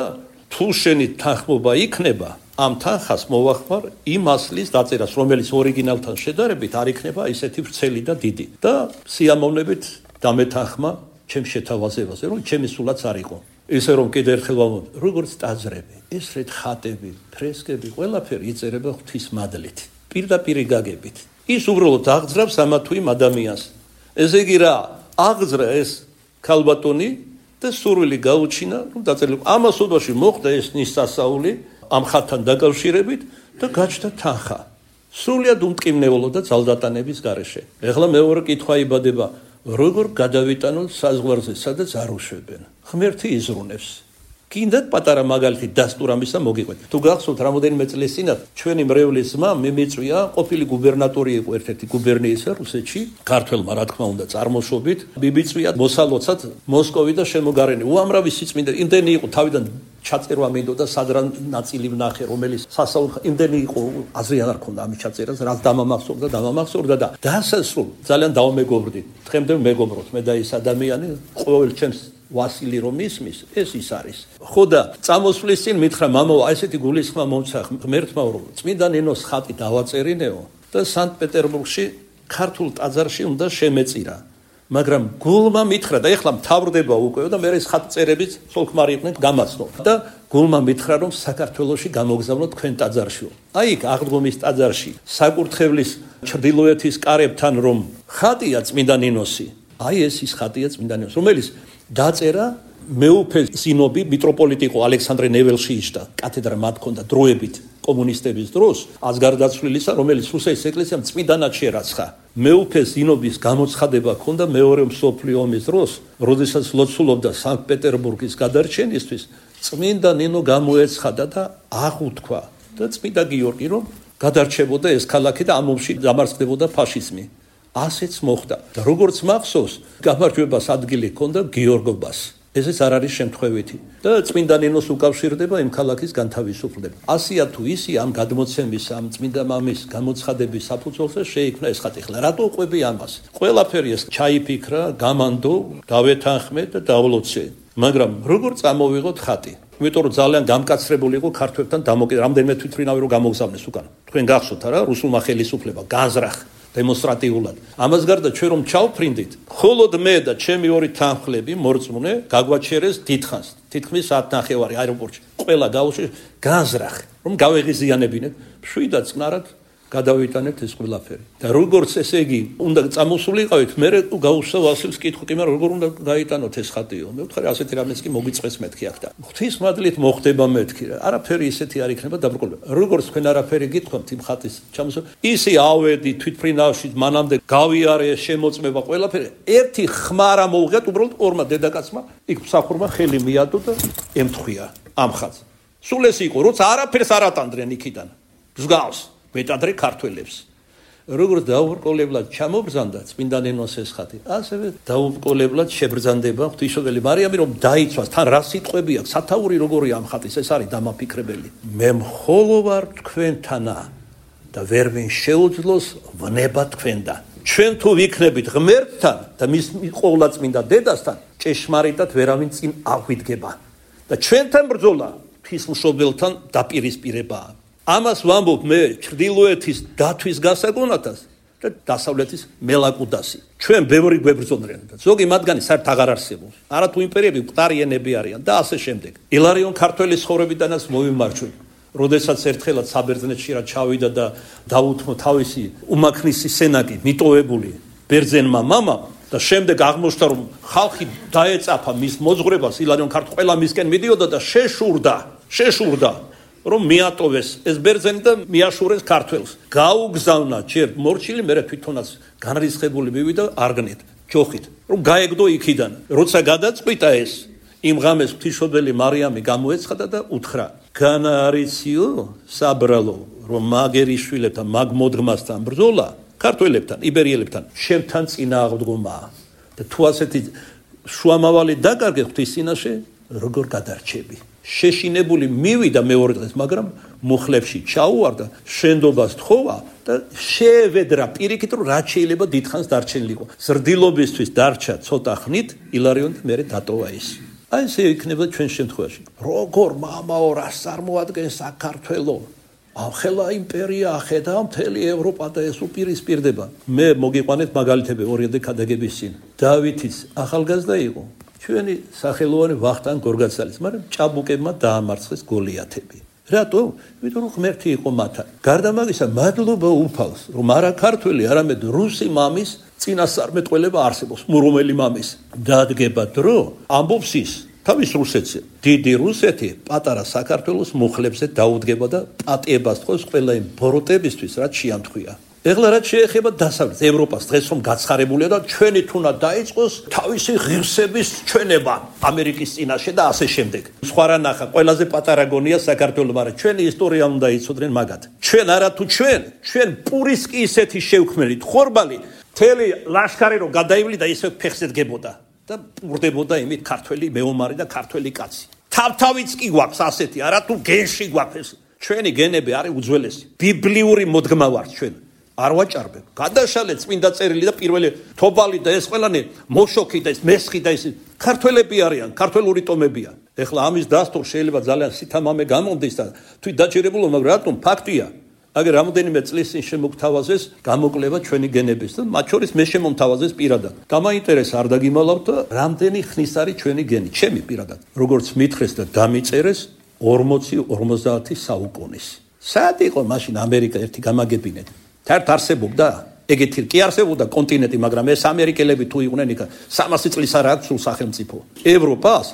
თუ შენი თანხმობა იქნება, ამ თანხას მოვახმარ იმ ასლის დაწერას, რომელიც ორიგინალთან შედარებით არ იქნება ისეთი ვრცელი და დიდი. და სიამოვნებით დამეთანხმა ჩემს შეთავაზებაზე, რომ ჩემი სულაც არ იყო. ისე რომ კიდევ ერთხელ ვამბობ, როგორც ტაძრები, ეს რეთ ხატები, ფრესკები, ყველაფერი იწერება ღვთისმადლით, პირდაპირ გაგებით. ის უბრალოდ აღძრავს ამა თუ იმ ადამიანს. ესე იგი რა, აღძრა ეს ქალბატონი და სურვილი გაუჩინა, რომ დაწერილიყო. ამას ოდვაში მოხდა ეს ნისასაული ამ ხატთან დაკავშირებით და გაჩნდა თანხა. სრულიად უმტკივნეულო და ძალდატანების გარეშე. ეხლა მეორე კითხვა იბადება, როგორ გადავიტანოთ საზღვარზე, სადაც არ უშვებენ. ღმერთი იზრუნებს. კიდევ პატარა მაგალითი დასტურ ამისა მოგიყვეთ. თუ გახსოვთ, რამოდენიმე წლის წინათ ჩვენი მრევლის ძმა მიმიწვია, ყოფილი გუბერნატორი იყო ერთ-ერთი გუბერნიისა რუსეთში, ქართველმა რა თქმა უნდა წარმოშობით, მიმიწვია მოსალოცად მოსკოვი და შემოგარენი. უამრავი სიწმინდე, იმდენი იყო თავიდან ჩაწერვა მინდოდა სადრა ნაწილი ვნახე, რომელიც სასაუბრ იმდენი იყო, აზრი არ ქონდა ამის ჩაწერას, რაც დამამახსოვრდა, დამამახსოვრდა და დასასრულ ძალიან დავმეგობრდი. დღემდე მეგობრობთ მე და ის ადამიანი, ყოველ ჩემს ვასილი რომ ისმის, ეს ის არის. ხო და წამოსვლის წინ მითხრა, მამაო, ესეთი გულისხმა მომცა ღმერთმა, რომ წმინდა ნინოს ხატი დავაწერინეო და სანქტ-პეტერბურგში ქართულ ტაძარში უნდა შემეწირა. მაგრამ გულმა მითხრა და ეხლა მთავრდება უკვე და მე ეს ხატწერებიც სოლქმარი იყვნენ გამაცნო. და გულმა მითხრა, რომ საქართველოში გამოგზავნოთ თქვენ ტაძარშიო. აი იქ აღდგომის ტაძარში, საკურთხევლის ჩრდილოეთის კარებთან რომ ხატია წმინდა ნინოსი. აი ეს ის ხატია წმინდა ნინოს, რომელიც დაწერა მეუფე სინობი მიტროპოლიტი იყო ალექსანდრე ნეველშიიშტა, კათედრა მათ ჰქონდა დროებით კომუნისტების დროს, ასგარდაცვლილისა, რომელიც რუსეთის ეკლესიამ წმინდანად შერაცხა. მეუფე სინობის გამოცხადება ჰქონდა მეორე მსოფლიო ომის დროს, როდესაც ლოცულობდა სანქტ-პეტერბურგის გადარჩენისთვის, წმინდა ნინო გამოეცხადა და აღუთქვა და წმინდა გიორგი რომ გადარჩებოდა ეს ქალაქი და ამ ომში დამარცხდებოდა ფაშიზმი. ასეც მოხდა და როგორც მახსოვს, გამარჯვებას ადგილი ჰქონდა გიორგობას. ესეც არ არის შემთხვევითი და წმინდა ნინოს უკავშირდება იმ ქალაქის განთავისუფლება. ასია თუ ისი ამ გადმოცემის, ამ წმინდა მამის გამოცხადების საფუძველზე შეიქმნა ეს ხატი. ხლა რატო ყვები ამას? ყველაფერი ეს ჩაიფიქრა, გამანდო, დავეთანხმე და დავლოცე. მაგრამ როგორ წამოვიღოთ ხატი? იმიტომ რომ ძალიან გამკაცრებული იყო ქართველთან დამოკიდებული, რამდენიმე თვითმფრინავი რომ გამოგზავნეს უკან. თქვენ გახსოვთ არა, რუსულმა ხელისუფლება განზრახ დემონსტრატიულად. ამას გარდა ჩვენ რომ ჩავფრინდით, მხოლოდ მე და ჩემი ორი თანხლები მორწმუნე გაგვაჩერეს დიდხანს, თითქმის საათ ნახევარი აეროპორტში. ყველა გავუშვი განზრახ, რომ გავეღიზიანებინეთ, მშვიდად წნარად გადავიტანეთ ეს ყველაფერი. და როგორც ესე იგი, უნდა წამოსულიყავით, მე გავუსვა ვასილს კითხვა, კი მაგრამ როგორ უნდა გაიტანოთ ეს ხატიო? მე ვთქვი, ასეთი რამეც კი მოგიწყეს მეთქი აქ და ღვთისმადლით მოხდება მეთქი რა. არაფერი ისეთი არ იქნება დაბრკოლება. როგორც თქვენ არაფერი გითხოთ იმ ხატის ჩამოსულ, ისი ავედი თვითმფრინავში მანამდე გავიარე შემოწმება ყველაფერი. ერთი ხმარა მოუღეთ უბრალოდ ორმა დედაკაცმა, იქ მსახურმა ხელი მიადო და ემთხვია ამ ხატს. სულ ეს იყო, როცა არაფერს არ ატანდნენ იქიდან. მსგავს მეტადრე ქართველებს. როგორც დაუბრკოლებლად ჩამობრძანდა წმინდა ნინოს ეს ხატი, ასევე დაუბრკოლებლად შებრძანდება ღვთისმშობელი მარიამი, რომ დაიცვას, თან რა სიტყვები აქვს, სათაური როგორია ამ ხატის, ეს არის დამაფიქრებელი. მე მხოლოდ ვარ თქვენთანა და ვერ ვინ შეუძლოს ვნება თქვენთან. ჩვენ თუ ვიქნებით ღმერთთან და მის ყოვლადწმინდა დედასთან, ჭეშმარიტად ვერავინ წინ აღვიდგება. და ჩვენთან ბრძოლა ღვთისმშობელთან დაპირისპირებაა. ამას ვამბობ მე ჩრდილოეთის დათვის გასაგონათას და დასავლეთის მელაკუდასი. ჩვენ ბევრი გვებრძოლდნენ და ზოგი მათგანი საერთოდ აღარ არსებობს. არა თუ იმპერიები მყარიენები არიან და ასე შემდეგ. ილარიონ ქართველის ხოვრებიდანაც მოვიმარჯვე. როდესაც ერთხელაც საბერძნეთში რა ჩავიდა და დაუთმო თავისი უმაქნისი სენაკი მიტოვებული ბერძენმა მამამ და შემდეგ აღმოჩნდა რომ ხალხი დაეწაფა მის მოძღვრებას, ილარიონ ქართველი ყველა მისკენ მიდიოდა და შეშურდა, შეშურდა რომ მიატოვეს ეს ბერძენი და მიაშურეს ქართველს. გაუგზავნა ჯერ მორჩილი, მერე თვითონაც განრისხებული მივიდა არგნით, ჯოხით, რომ გაეგდო იქიდან. როცა გადაწყვიტა ეს, იმ ღამეს ღვთისმშობელი მარიამი გამოეცხადა და უთხრა: განარიციო საბრალო, რომ მაგერიშვილებთან, მაგ მოდგმასთან ბრძოლა, ქართველებთან, იბერიელებთან, შემთან წინააღმდგომაა. და თუ ასეთი შუამავალი დაკარგე ღვთის წინაშე, როგორ გადარჩები? შეშინებული მივიდა მეორე დღეს, მაგრამ მუხლებში ჩაუვარდა, შენდობას თხოვა და შეევედრა პირიქით, რომ რაც შეიძლება დიდხანს დარჩენილიყო. ზრდილობისთვის დარჩა ცოტა ხნით, ილარიონი მერე დატოვა ის. აი ესე იქნება ჩვენ შემთხვევაში. როგორ მამაო რას წარმოადგენს საქართველო? ახლა იმპერია ახედა მთელი ევროპა და ეს უპირისპირდება. მე მოგიყვანეთ მაგალითები ორი დეკადების წინ. დავითის ახალგაზრდა იყო. ჩვენი სახელოვანი ვახტანგ გორგაცალის, მაგრამ ჭაბუკებმა დაამარცხეს გოლიათები. რატო? იმიტომ რომ ღმერთი იყო მათთან. გარდა მაგისა, მადლობა უფალს, რომ არა ქართველი, არამედ რუსი მამის წინასწარმეტყველება არსებობს, მურომელი მამის. დადგება დრო, ამბობს ის, თავის რუსეთზე. დიდი რუსეთი პატარა საქართველოს მუხლებზე დაუდგება და პატიებას თხოვს ყველა იმ ბოროტებისთვის, რაც შეამთხვია. ეხლა რაც შეეხება დასავლეთ ევროპას, დღეს რომ გაცხარებულია და ჩვენი თუნა დაიწყოს თავისი ღირსების ჩვენება ამერიკის წინაშე და ასე შემდეგ. სხვა რა ნახა, ყველაზე პატარა გონია საქართველო, მაგრამ ჩვენი ისტორია უნდა იცოდნენ მაგათ. ჩვენ არა თუ ჩვენ, ჩვენ პურისკი ისეთი შევქმნით, ხორბალი, თელი ლაშქარი რომ გადაივლიდა ისე ფეხზე დგებოდა და პურდებოდა იმით ქართველი მეომარი და ქართველი კაცი. თავთავიც კი გვაქვს ასეთი, არა თუ გენში გვაქვს. ჩვენი გენები არის უძველესი. ბიბლიური მოდგმა ვართ ჩვენ. არ ვაჭარბებ. გადაშალეთ წმინდა წერილი და პირველი თობალი და ეს ყველანი მოშოქი და ეს მესხი და ეს ქართველები არიან, ქართველური ტომებია. ეხლა ამის დასტურ შეიძლება ძალიან სითამამე გამომდის და თვით დაჭირებულო, მაგრამ რატომ ფაქტია. აგერ რამოდენიმე წლის წინ შემოგთავაზეს გამოკლება ჩვენი გენების და მათ შორის მე შემომთავაზეს პირადად. გამაინტერესა არ დაგიმალავთ და რამდენი ხნის არის ჩვენი გენი, ჩემი პირადად. როგორც მითხრეს და დამიწერეს ორმოცი ორმოცდაათი საუკუნის. საერთოდ იყო მაშინ ამერიკა ერთი გამაგებინეთ. თერთ არსებობდა, ეგეთი კი არსებობდა კონტინენტი, მაგრამ ეს ამერიკელები თუ იყვნენ იქ სამასი წლის არ აქვს სულ სახელმწიფო. ევროპას,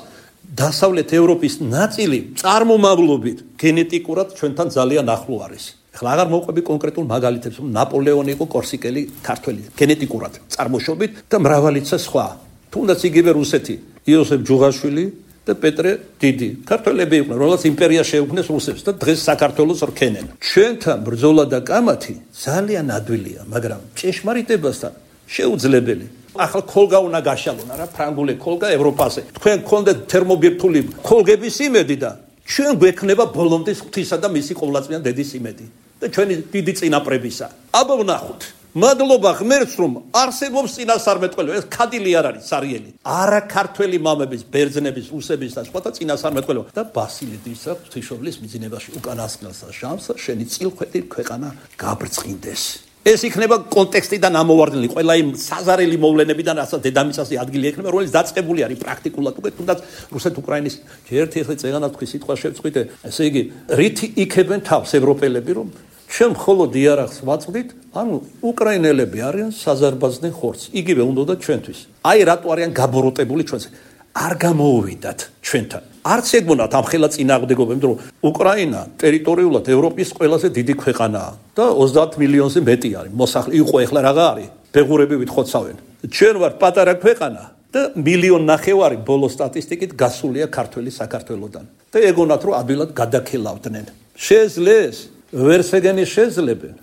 დასავლეთ ევროპის ნაწილი წარმომავლობით გენეტიკურად ჩვენთან ძალიან ახლო არის. ეხლა აღარ მოვყვები კონკრეტულ მაგალითებს, რომ ნაპოლეონი იყო კორსიკელი ქართველი, გენეტიკურად წარმოშობით და მრავალიცა სხვა. თუნდაც იგივე რუსეთი, იოსებ ჯუღაშვილი და პეტრე დიდი. ქართველები იყვნენ, რომელსაც იმპერია შეუქმნეს რუსებს და დღეს საქართველოს რქენენ. ჩვენთან ბრძოლა და კამათი ძალიან ადვილია, მაგრამ ჭეშმარიტებასთან შეუძლებელი. ახლა ქოლგა უნდა გაშალონ, არა ფრანგული ქოლგა ევროპაზე. თქვენ გქონდეთ თერმობირთული ქოლგების იმედი და ჩვენ გვექნება ბოლომდე ღვთისა და მისი ყოვლადწმიდა დედის იმედი და ჩვენი დიდი წინაპრებისა. აბა ვნახოთ. მადლობა ღმერთს, რომ არსებობს წინასწარმეტყველი, ეს ქადილი არ არის, სარიელი. არა ქართველი მამების, ბერძნების, რუსების და სხვათა წინასწარმეტყველი და ბასილიდისა ღვთისმშობლის მიძინებაში უკანასკნელსა შამსა შენი წილხვედი ქვეყანა გაბრწყინდეს. ეს იქნება კონტექსტიდან ამოვარდნილი, ყველა იმ საზარელი მოვლენებიდან, რასაც დედამიწაზე ადგილი ექნება, რომელიც დაწყებული არის პრაქტიკულად უკვე, თუნდაც რუსეთ-უკრაინის ერთი ახლა წეგანა თქვი სიტყვა შევწყვიტე, ესე იგი, რითი იქებენ თავს ევროპელები, რომ ჩვენ მხოლოდ იარაღს ვაწვდით, ანუ უკრაინელები არიან საზარბაზნე ხორცი. იგივე უნდა ჩვენთვის. აი რატო არიან გაბოროტებული ჩვენს. არ გამოუვიდათ ჩვენთან. არც ეგონათ ამხელა წინააღმდეგობა, იმიტომ რომ უკრაინა ტერიტორიულად ევროპის ყველაზე დიდი ქვეყანაა და ოცდაათ მილიონზე მეტი არის. მოსახლე იყო ეხლა რაღა არის? ბეღურები ვითხოვცავენ. ჩვენ ვართ პატარა ქვეყანა და მილიონ ნახევარი ბოლო სტატისტიკით გასულია ქართველი საქართველოსთან. და ეგონათ რომ ადვილად გადაქელავდნენ. შეძლეს ვერსეგენი შეძლებენ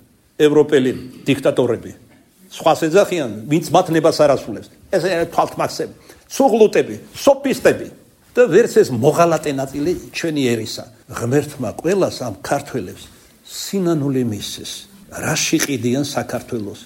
ევროპელი დიქტატორები. სხვას ეძახიან, ვინც მათ ნებას არ ასრულებს. ეს თვალთმაცები, სუღლუტები, სოფისტები და ვერც ეს მოღალატე ნაწილი ჩვენი ერისა. ღმერთმა ყველას ამ ქართველებს სინანული მისცეს. რაში ყიდიან საქართველოს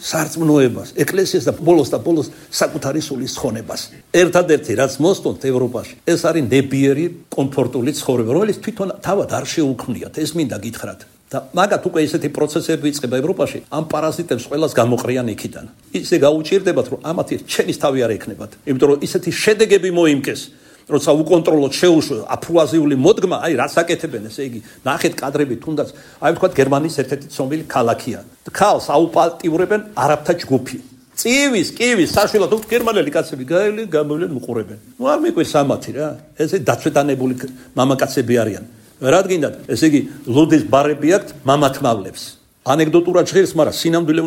სარწმუნოებას, ეკლესიას და ბოლოს და ბოლოს საკუთარი სულის ხონებას. ერთადერთი რაც მოსტონთ ევროპაში, ეს არის ნებიერი კომფორტული ცხოვრება, რომელიც თვითონ თავად არ შეუქმნიათ. ეს მინდა გითხრათ. და მაგათ უკვე ესეთი პროცესები იწყება ევროპაში, ამ პარაზიტებს ყველას გამოყრიან იქიდან. ისე გაუჭირდებათ, რომ ამათი ჩენის თავი არ ექნებათ. იმიტომ რომ ისეთი შედეგები მოიმკეს, როცა უკონტროლოდ შეუშვა აფრუაზიული მოდგმა, აი რაც აკეთებენ, ესე იგი, ნახეთ კადრები თუნდაც, აი ვთქვათ გერმანიის ერთ-ერთი ცნობილი ქალაქია. ქალს აუპატიურებენ არაბთა ჯგუფი. წივის, კივის, საშვილად უთ გერმანელი კაცები გაევლენ, გამოვლენ უყურებენ. ნუ არ მეკვეს ამათი რა. ესე დაცვეთანებული მამაკაცები არიან. რადგინდათ, ესე იგი, ლუდის ბარები აქვთ მამათმავლებს. ანეკდოტურად ჟღერს, მაგრამ სინამდვილე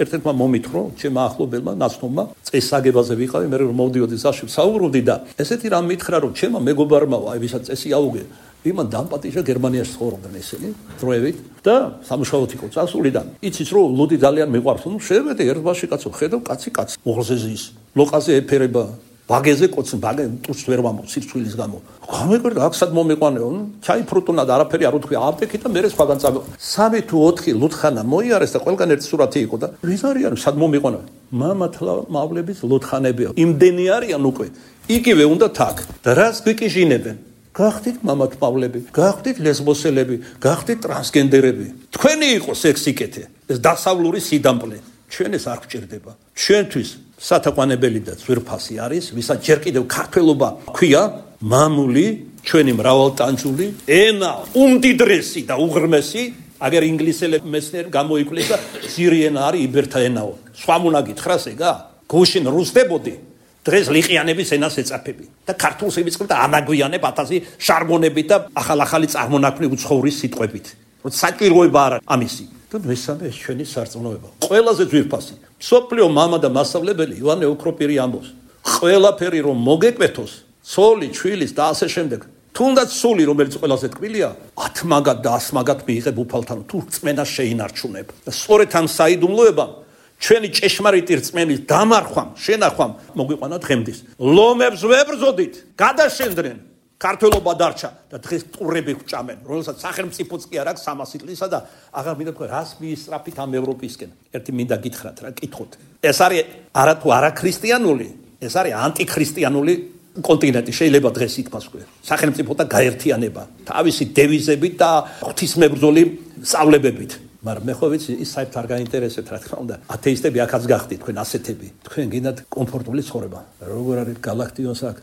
ერთ-ერთმა მომითხოვა, ჩემმა ახლობელმა, ნაცნობმა, წესაგებაზე ვიყავი, მე რომ მოვდიოდი ზაში საუბრობდი და ესეთი რამ მითხრა, რომ ჩემმა მეგობარმა, აი ვისაც წესი აუგე, იმან დამპატიჟა გერმანიაში ცხოვრობდნენ ესენი, დროებით და სამუშაოდ იყო წასული და იცის რომ ლუდი ძალიან მიყვარს, ნუ შევედი ერთბაში კაცო, ხედავ კაცი კაცი, მოღზე ზის, ლოყაზე ეფერება, ბაგეზე კოცი, ბაგე ტურს ვერ ვამბობ სირცვილის გამო. გამეკვირდა აქსად მომეყვანეო, ჩაიფრუტუნა და არაფერი არ უთქვია აპტეკი და მერე სხვაგან წავე. სამი თუ ოთხი ლუთხანა მოიარეს და ყველგან ერთი სურათი იყო და ვის არიან სად მომეყვანა? მამათმავლების ლუთხანებია. იმდენი არიან უკვე. იგივე უნდა თაკ. და რას გვიკიჟინებენ? გახდით მამათმავლები, გახდით ლესბოსელები, გახდით ტრანსგენდერები. თქვენი იყო სექსიკეთე. ეს დასავლური სიდამპლე. ჩვენ ეს არ გვჭირდება. ჩვენთვის სათაყვანებელი და ძვირფასი არის, ვისაც ჯერ კიდევ ქართველობა ქვია, მამული, ჩვენი მრავალტანჯული, ენა, უმდიდრესი და უღრმესი, აგერ ინგლისელები მეცნიერი გამოიკვლიეს და ძირი ენა არის იბერთა ენაო. სხვა უნდა გითხრას ეგა? გუშინ რუსდებოდი, დღეს ლიყიანების ენას ეწაფები და ქართულს ივიწყებ და ანაგვიანებ ათასი შარგონებით და ახალ-ახალი წარმონაქმნი უცხოური სიტყვებით. რომ საჭიროება არა ამისი. და მესამე ეს ჩვენი სარწმუნოება. ყველაზე ძვირფასი. სოფლიო მამა და მასწავლებელი ივანე ოქროპირი ამბობს. ყველაფერი რომ მოგეკვეთოს, ცოლი, ჩვილის და ასე შემდეგ. თუნდაც სული, რომელიც ყველაზე ტკბილია, ათმაგად და ასმაგად მიიღებ უფალთან, თუ რწმენა შეინარჩუნებ. და სწორედ ამ საიდუმლოებამ ჩვენი ჭეშმარიტი რწმენის დამარხვამ, შენახვამ მოგვიყვანა დღემდის. ლომებს ვებრძოდით, გადაშენდნენ. ქართველობა დარჩა და დღეს ტურები გვჭამენ, რომელსაც სახელმწიფოც კი არ აქვს სამასი წლისა და აღარ მინდა თქვა რას მიისწრაფით ამ ევროპისკენ. ერთი მინდა გითხრათ რა, კითხოთ. ეს არის არა თუ არა ქრისტიანული, ეს არის ანტიქრისტიანული კონტინენტი, შეიძლება დღეს ითქვას უკვე. სახელმწიფო და გაერთიანება, თავისი დევიზებით და ღვთისმებრძოლი სწავლებებით. მაგრამ მე ხო ვიცი, ის საერთოდ არ გაინტერესებთ, რა თქმა უნდა. ათეისტები აქაც გახდით, თქვენ ასეთები. თქვენ გინდათ კომფორტული ცხოვრება. როგორ არის გალაქტიონს აქ?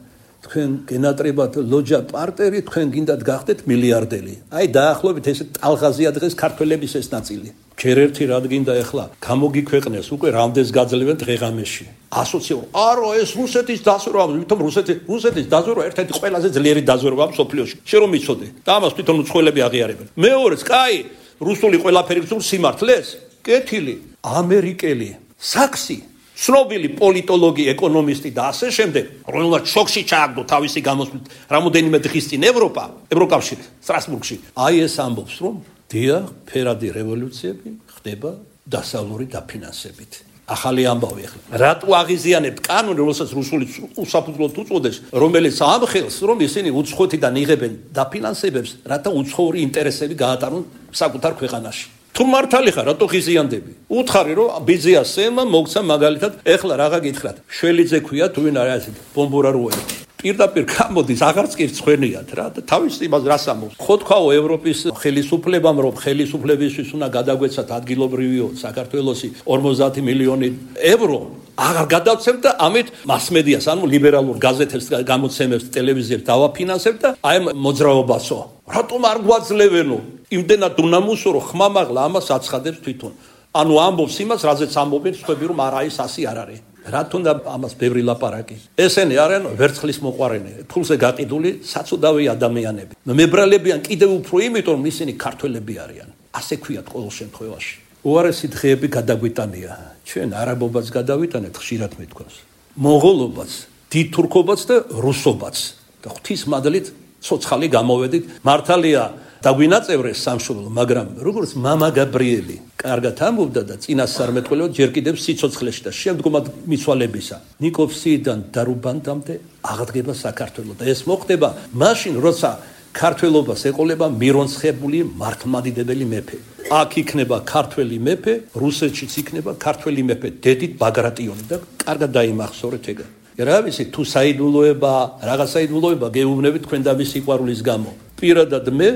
თქვენ გენატრებათ ლოჯა პარტერი, თქვენ გინდათ გახდეთ მილიარდელი. აი დაახლოებით ეს ტალღაზია დღეს ქართველების ეს ნაწილი. ჯერ ერთი რად გინდა ეხლა გამოგიქვეყნეს უკვე რამდენს გაძლევენ დღეღამეში. ასოციური. არო ეს რუსეთის დაზვერვა, ვითომ რუსეთი რუსეთის დაზვერვა ერთ-ერთი ყველაზე ძლიერი დაზვერვაა მსოფლიოში. შენ რომ იცოდე და ამას თვითონ უცხოელები აღიარებენ. მეორეც, კაი, რუსული ყველაფერი გწურს სიმართლეს? კეთილი, ამერიკელი, საქსი ცნობილი პოლიტოლოგი, ეკონომისტი და ასე შემდეგ, რომელმაც შოქში ჩააგდო თავისი გამოსვლით რამოდენიმე დღის წინ ევროპა, ევროკავშირი, სტრასბურგში. აი ეს ამბობს, რომ დიახ, ფერადი რევოლუციები ხდება დასავლური დაფინანსებით. ახალი ამბავი ახლა. რატო აღიზიანებთ კანონი, რომელსაც რუსული უსაფუძვლოდ უწოდეს, რომელიც ამხელს, რომ ისინი უცხოეთიდან იღებენ დაფინანსებებს, რათა უცხოური ინტერესები გაატარონ საკუთარ ქვეყანაში. თუ მართალი ხარ, რატო ხიზიანდები? უთხარი რომ ბიზია სემა მოგცა მაგალითად, ეხლა რაღა გითხრათ. შველიძე ქვია თუ ვინ არის ასეთი ბომბურარუელი. პირდაპირ გამოდის, აღარც კი რცხვენიათ რა და თავის იმას რას ამბობს. ხო თქვაო ევროპის ხელისუფლებამ რომ ხელისუფლებისთვის უნდა გადაგვეცათ ადგილობრივიო საქართველოსი ორმოცდაათი მილიონი ევრო აღარ გადავცემთ და ამით მასმედიას ანუ ლიბერალურ გაზეთებს გამოცემებს ტელევიზიებს დავაფინანსებთ და აი მოძრაობასო. რატომ არ გვაძლევენო? იმდენად უნამუსო რომ ხმამაღლა ამას აცხადებს თვითონ. ანუ ამბობს იმას, რაზეც ამბობენ სხვები რომ არა ის ასი არ არის. რატომ და ამას ბევრი ლაპარაკი. ესენი არიან ვერცხლის მოყვარენები, ფულზე გაყიდული საწოდავი ადამიანები. მებრალებიან კიდევ უფრო იმიტომ რომ ისინი ქართველები არიან. ასე ქვიათ ყოველ შემთხვევაში. უარესი დღეები გადაგვიტანია. ჩვენ არაბობაც გადავიტანეთ, ხშირად მეთქვას. მონღოლობაც, დიდ თურქობაც და რუსობაც. და ღვთის მადლით ცოცხალი გამოვედით. მართალია დაგვინაწევრეს სამშობლო, მაგრამ როგორც მამა გაბრიელი კარგად ამბობდა და წინასწარმეტყველო ჯერ კიდევ სიცოცხლეში და შემდგომად მიცვალებისა ნიკოფსიიდან დარუბანდამდე აღდგება საქართველოს და ეს მოხდება მაშინ როცა ქართველობას ეყოლება მირონცხებული მართლმადიდებელი მეფე. აქ იქნება ქართველი მეფე, რუსეთშიც იქნება ქართველი მეფე, დედით ბაგრატიონი და კარგად დაიმახსოვრეთ ეგ. რა ვიცი თუ საიდუმლოება, რაღაც საიდუმლოება გეუბნებით თქვენ და მის სიყვარულის გამო. პირადად მე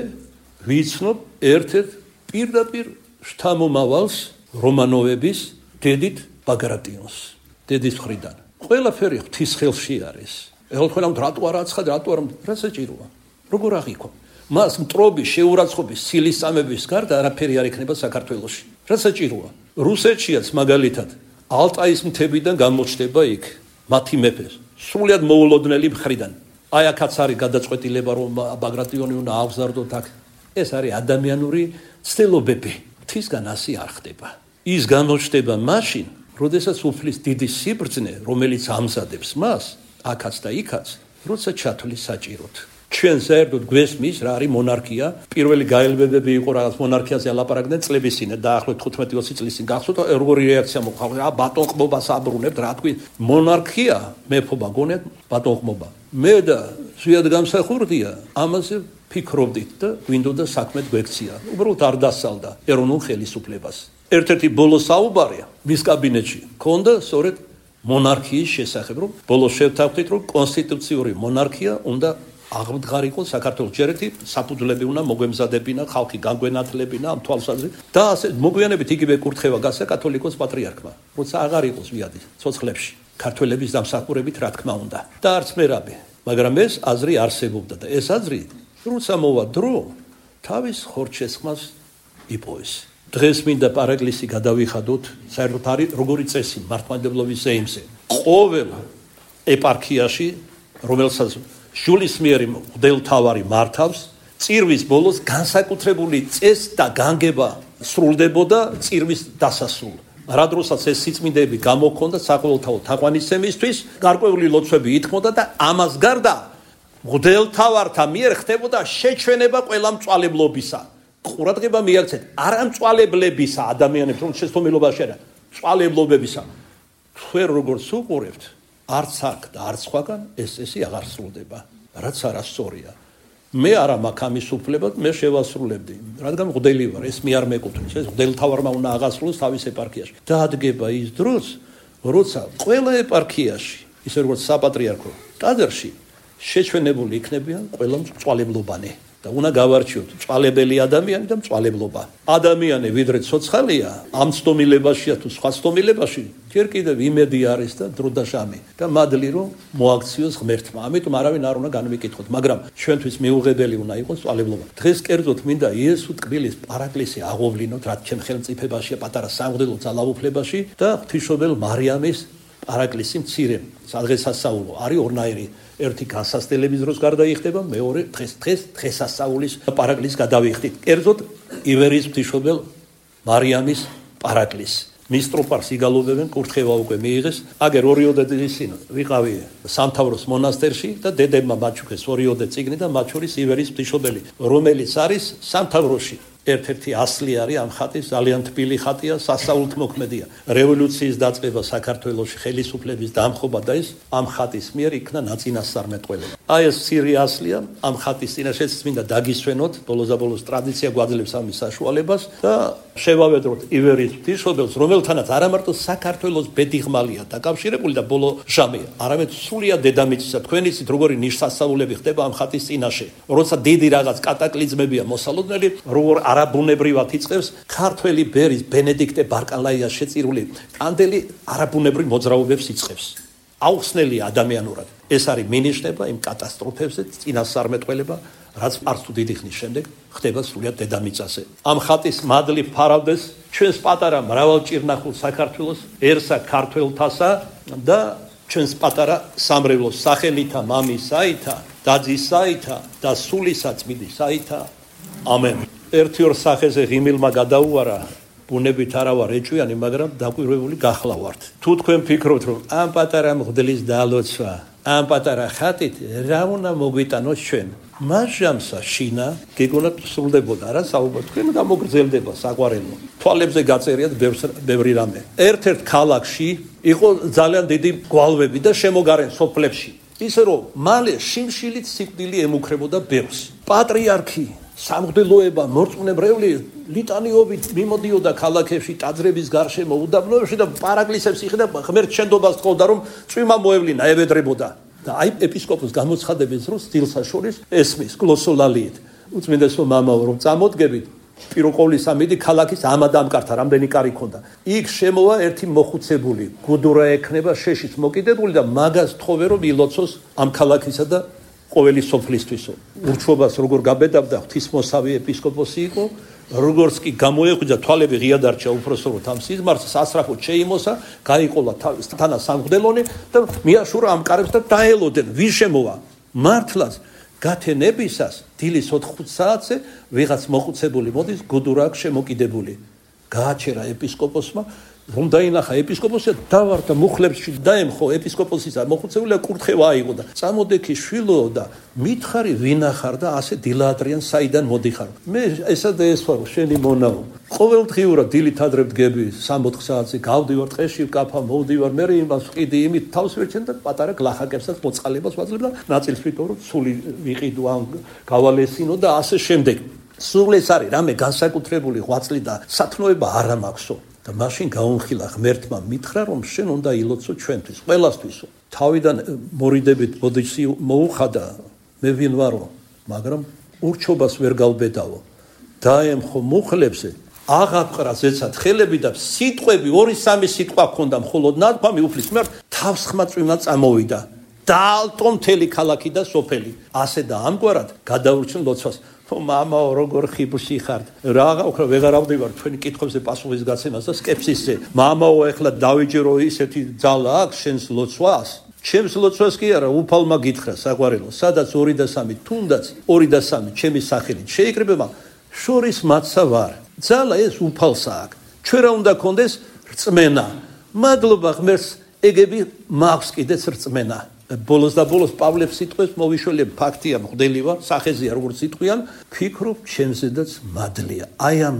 ვიცნობ ერთ-ერთ პირდაპირ შთამომავალს რომანოვების დედით ბაგრატიონს. დედის მხრიდან. ყველაფერი ღვთის ხელში არის. ეხლა თქვენ ამ რატო არ აცხად, რატო არ რა საჭიროა? როგორ აღიქვა? მას მტრობის, შეურაცხყოფის, სილისწამების გარდა არაფერი არ ექნება საქართველოში. რა საჭიროა? რუსეთშიაც მაგალითად ალტაის მთებიდან გამოჩნდება იქ მათი მეფეს, სრულიად მოულოდნელი მხრიდან. აი აქაც არის გადაწყვეტილება რომ ბაგრატიონი უნდა აღზარდოთ აქ. ეს არის ადამიანური ცდილობები. ღვთისგან ასე არ ხდება. ის გამოჩნდება მაშინ, როდესაც უფლის დიდი სიბრძნე, რომელიც ამზადებს მას, აქაც და იქაც, როცა ჩათვლის საჭიროდ. ჩვენ საერთოდ გვესმის რა არის მონარქია. პირველი გაელვებები იყო რაღაც მონარქიაზე ალაპარაკდნენ წლების წინ და ახლო თხუთმეტი ოცი წლის წინ გახსოვთ როგორი რეაქცია მოხდა. რა ბატონყმობას აბრუნებთ, რა თქვი მონარქია, მეფობა გონიათ ბატონყმობა. მე და ზვიად გამსახურდია ამაზე ფიქრობდით და გვინდოდა საქმე გვექცია. უბრალოდ არ დასალდა ეროვნულ ხელისუფლებას. ერთ-ერთი ბოლო საუბარია მის კაბინეტში. ქონდა სწორედ მონარქიის შესახებ, რომ ბოლოს შევთავაზეთ, რომ კონსტიტუციური მონარქია უნდა აღმდგარიყო საქართველოს. ჯერ ერთი საფუძვლები უნდა მოგვემზადებინა, ხალხი განგვენათლებინა ამ თვალსაზრისით და ასე მოგვიანებით იგივე კურთხევა გასცა კათოლიკოს პატრიარქმა, როცა აღარ იყოს ვიადი ცოცხლებში ქართველების დამსახურებით, რა თქმა უნდა. და არც მერაბი, მაგრამ ეს აზრი არსებობდა და ეს აზრი როცა მოვა დრო, თავის ხორჩესხმას იპოვეს. დღეს მინდა პარაკლისი გადავიხადოთ, საერთოდ არის როგორი წესი მართლმადიდებლობის ზეიმზე. ყოველ ეპარქიაში, რომელსაც შულისმიერი მღვდელმთავარი მართავს, წირვის ბოლოს განსაკუთრებული წესი და განგება სრულდებოდა წირვის დასასრულ. რა დროსაც ეს სიწმინდეები გამოქონდა საყოველთაო თაყვანისცემისთვის, გარკვეული ლოცვები ითქმოდა და ამას გარდა მღვდელმთავართა მიერ ხდებოდა შეჩვენება ყველა მწვალებლობისა. ყურადღება მიაქცეთ, არა მწვალებლებისა ადამიანებს, რომ შეცდომილობაში არა, მწვალებლობებისა. თქვენ როგორც უყურებთ, არც აქ და არც სხვაგან ეს წესი აღარ სრულდება, რაც არასწორია. მე არა მაქვს ამის უფლება, მე შევასრულებდი, რადგან მღვდელი ვარ, ეს მე არ მეკუთვნის, ეს მღვდელმთავარმა უნდა აღასრულოს თავის ეპარქიაში. დაადგება ის დროს, როცა ყველა ეპარქიაში, ისე როგორც საპატრიარქო ტაძარში შეჩვენებული იქნებიან ყველა მწვალებლობანი და უნდა გავარჩიოთ მწვალებელი ადამიანი და მწვალებლობა. ადამიანი ვიდრე ცოცხალია, ამ ცდომილებაშია თუ სხვა ცდომილებაში, ჯერ კიდევ იმედი არის და დრო და ჟამი და მადლი რომ მოაქციოს ღმერთმა. ამიტომ არავინ არ უნდა განვიკითხოთ, მაგრამ ჩვენთვის მიუღებელი უნდა იყოს მწვალებლობა. დღეს კერძოდ მინდა იესო ტკბილის პარაკლისი აღოვლინოთ, რაც ჩემ ხელმწიფებაშია პატარა სამღვდელო ძალაუფლებაში და ღვთისმშობელ მარიამის პარაკლისი მცირე სადღესასწაულო არის ორნაირი. ერთი განსასწრების დროს გარდაიხდება, მეორე დღეს დღეს დღესასწაულის პარაკლისს გადავიხდით. კერძოდ ივერიის ღვთისმშობელ მარიამის პარაკლისს. მისტროპარს იგალობებენ, კურთხევა უკვე მიიღეს. აგერ ორიოდე წლის წინ ვიყავი სამთავროს მონასტერში და დედებმა მაჩუქეს ორიოდე წიგნი და მათ შორის ივერიის ღვთისმშობელი, რომელიც არის სამთავროში. ერთ-ერთი ასლი არის ამ ხატის, ძალიან თბილი ხატია, სასაულთმოქმედია. რევოლუციის დაწყება საქართველოში, ხელისუფლების დამხობა და ეს ამ ხატის მიერ იქნა ნაწინასწარმეტყველება. აი ეს ცირე ასლია ამ ხატის წინაშეც მინდა დაგისვენოთ, ბოლოს და ბოლოს ტრადიცია გვაძლევს ამის საშუალებას და შევავედროთ ივერიის ღვთისმშობელს, რომელთანაც არა მარტო საქართველოს ბედიღმალია დაკავშირებული და ბოლო ჟამია, არამედ სრულიად დედამიწისა. თქვენ იცით როგორი ნიშსასწაულები ხდება ამ ხატის წინაშე. როცა დიდი რაღაც კატაკლიზმებია მოსალოდნელი, როგორ არაბუნებრივად იწყებს ქართველი ბერის ბენედიქტე ბარკალაიას შეწირული კანდელი არაბუნებრივ მოძრაობებს იწყებს. აუხსნელია ადამიანურად. ეს არის მინიშნება იმ კატასტროფებზე, წინასწარმეტყველება, რაც არც თუ დიდი ხნის შემდეგ ხდება სრულიად დედამიწაზე. ამ ხატის მადლი ფარავდეს ჩვენს პატარა მრავალჭირნახულ საქართველოს ერსა ქართველთასა და ჩვენს პატარა სამრევლოს სახელითა მამისაითა, დაძისაითა და სულისა წმინდისაითა. ამენ. ერთი ორ სახეზე ღიმილმა გადაუარა, ბუნებით არა ვარ ეჭვიანი, მაგრამ დაკვირვებული გახლავართ. თუ თქვენ ფიქრობთ, რომ ამ პატარა მღვდლის დალოცვა, ამ პატარა ხატით რა უნდა მოგვიტანოს ჩვენ, მასჟამსა შინა გეგონათ სრულდებოდა, რა საუბარ, თქვენ გამოგრძელდება საყვარელო. თვალებზე გაწერიათ ბევრი რამე. ერთ-ერთ ქალაქში იყო ძალიან დიდი გვალვები და შემოგარენ სოფლებში. ისე რომ მალე შიმშილით სიკვდილი ემუქრებოდა ბევრს. პატრიარქი სამღვდელოება მორწმუნებრეული ლიტანიობით მიმოდიოდა ქალაქებში, ტაძრების გარშემო, უდაბნოებში და პარაკლისებს იხდა, ღმერთ შენდობას თხოვდა, რომ წვიმა მოევლინა, ევედრებოდა. და აი ეპისკოპოს გამოცხადების დროს სტილსა შორის ესმის გლოსოლალიით. უწმინდესო მამაო, რომ წამოდგებით, პირო ყოვლისა მიდი ქალაქის ამადამკართა რამდენი კარი ქონდა. იქ შემოვა ერთი მოხუცებული, გუდურა ექნება შეშიც მოკიდებული და მაგას თხოვე რომ ილოცოს ამ ქალაქისა და ყოველი სოფლისთვისო. ურჩობას როგორ გაბედავდა ღვთისმოსავი ეპისკოპოსი იყო, როგორც კი გამოეღვიძა თვალები ღია დარჩა უფროსწოროთ ამ სიზმარს, სასწრაფოდ შეიმოსა, გაიყოლა თავის თანა სამღვდელონი და მიაშურა ამ კარებს და დაელოდენ. ვის შემოვა? მართლაც გათენებისას დილის ოთხ საათზე ვიღაც მოხუცებული მოდის, გუდურა აქვს შემოკიდებული. გააჩერა ეპისკოპოსმა, რომ დაინახა ეპისკოპოსი, დავარდა მუხლებში დაემხო ეპისკოპოსისა, მოხუცებულა კურთხევა აიღო და წამოდექი შვილო და მითხარი ვინახარ და ასე დილაადრიან საიდან მოდიხარ. მე ესა და ეს ვარ შენი მონაო. ყოველდღიურად დილით ადრე დგები სამოთხ საათზე გავდივარ ტყეში ვკაფა მოვდივარ მე იმას ვყიდი იმით თავს ვერჩენ და პატარა გლახაკებსაც მოწყალებას ვაძლევ და ნაწილს ვიტყო რომ სული ვიყიდო ან გავალესინო და ასე შემდეგ. სულ ეს არის რამე განსაკუთრებული ღვაწლი და სათნოება არ მაქვსო. და მაშინ გაუნხილა ღმერთმა, მითხრა რომ შენ უნდა ილოცო ჩვენთვის, ყველასთვისო. თავიდან მორიდებით ბოდიში მოუხადა, მე ვინ ვარო, მაგრამ ურჩობას ვერ გავბედავო. დაემხო მუხლებზე, აღაპყრა ზეცად ხელები და სიტყვები, ორი სამი სიტყვა ჰქონდა, მხოლოდ ნათქვამი უფლის მიმართ თავს ხმაწვიმა წამოვიდა. დაალტო მთელი ქალაქი და სოფელი. ასე და ამგვარად გადაურჩენ ლოცვას. მამაო, როგორ ხიბლში ხართ? რა გავქრა, ვეღარ ავდივარ თქვენი კითხვებზე პასუხის გაცემას და სკეპსისზე. მამაო, ეხლა დავიჯერო ისეთი ძალა აქვს შენს ლოცვას? ჩემს ლოცვას კი არა, უფალმა გითხრა საყვარელო, სადაც ორი და სამი, თუნდაც ორი და სამი ჩემი სახელით შეიკრიბება, შორის მაცა ვარ. ძალა ეს უფალსა აქვს. ჩვენ რა უნდა გქონდეს? რწმენა. მადლობა ღმერთს, ეგები მაქვს კიდეც რწმენა. ბოლოს და ბოლოს პავლეს სიტყვებს მოვიშველებ, ფაქტია, მღვდელი ვარ, სახეზეა როგორც სიტყვიან, ფიქრობ ჩემზედაც მადლია. აი ამ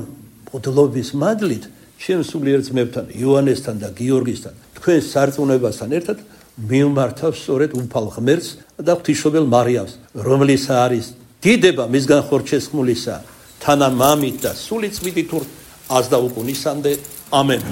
მღვდლობის მადლით ჩემ სულიერ ძმებთან, იოანესთან და გიორგისთან, თქვენ სარწმუნოებასთან ერთად მივმართავ სწორედ უფალ ღმერთს და ღვთისმშობელ მარიამს, რომლის არის დიდება მისგან ხორჩესხმულისა, თანა მამით და სული წმინდით აზდა უკუნისამდე. ამენ.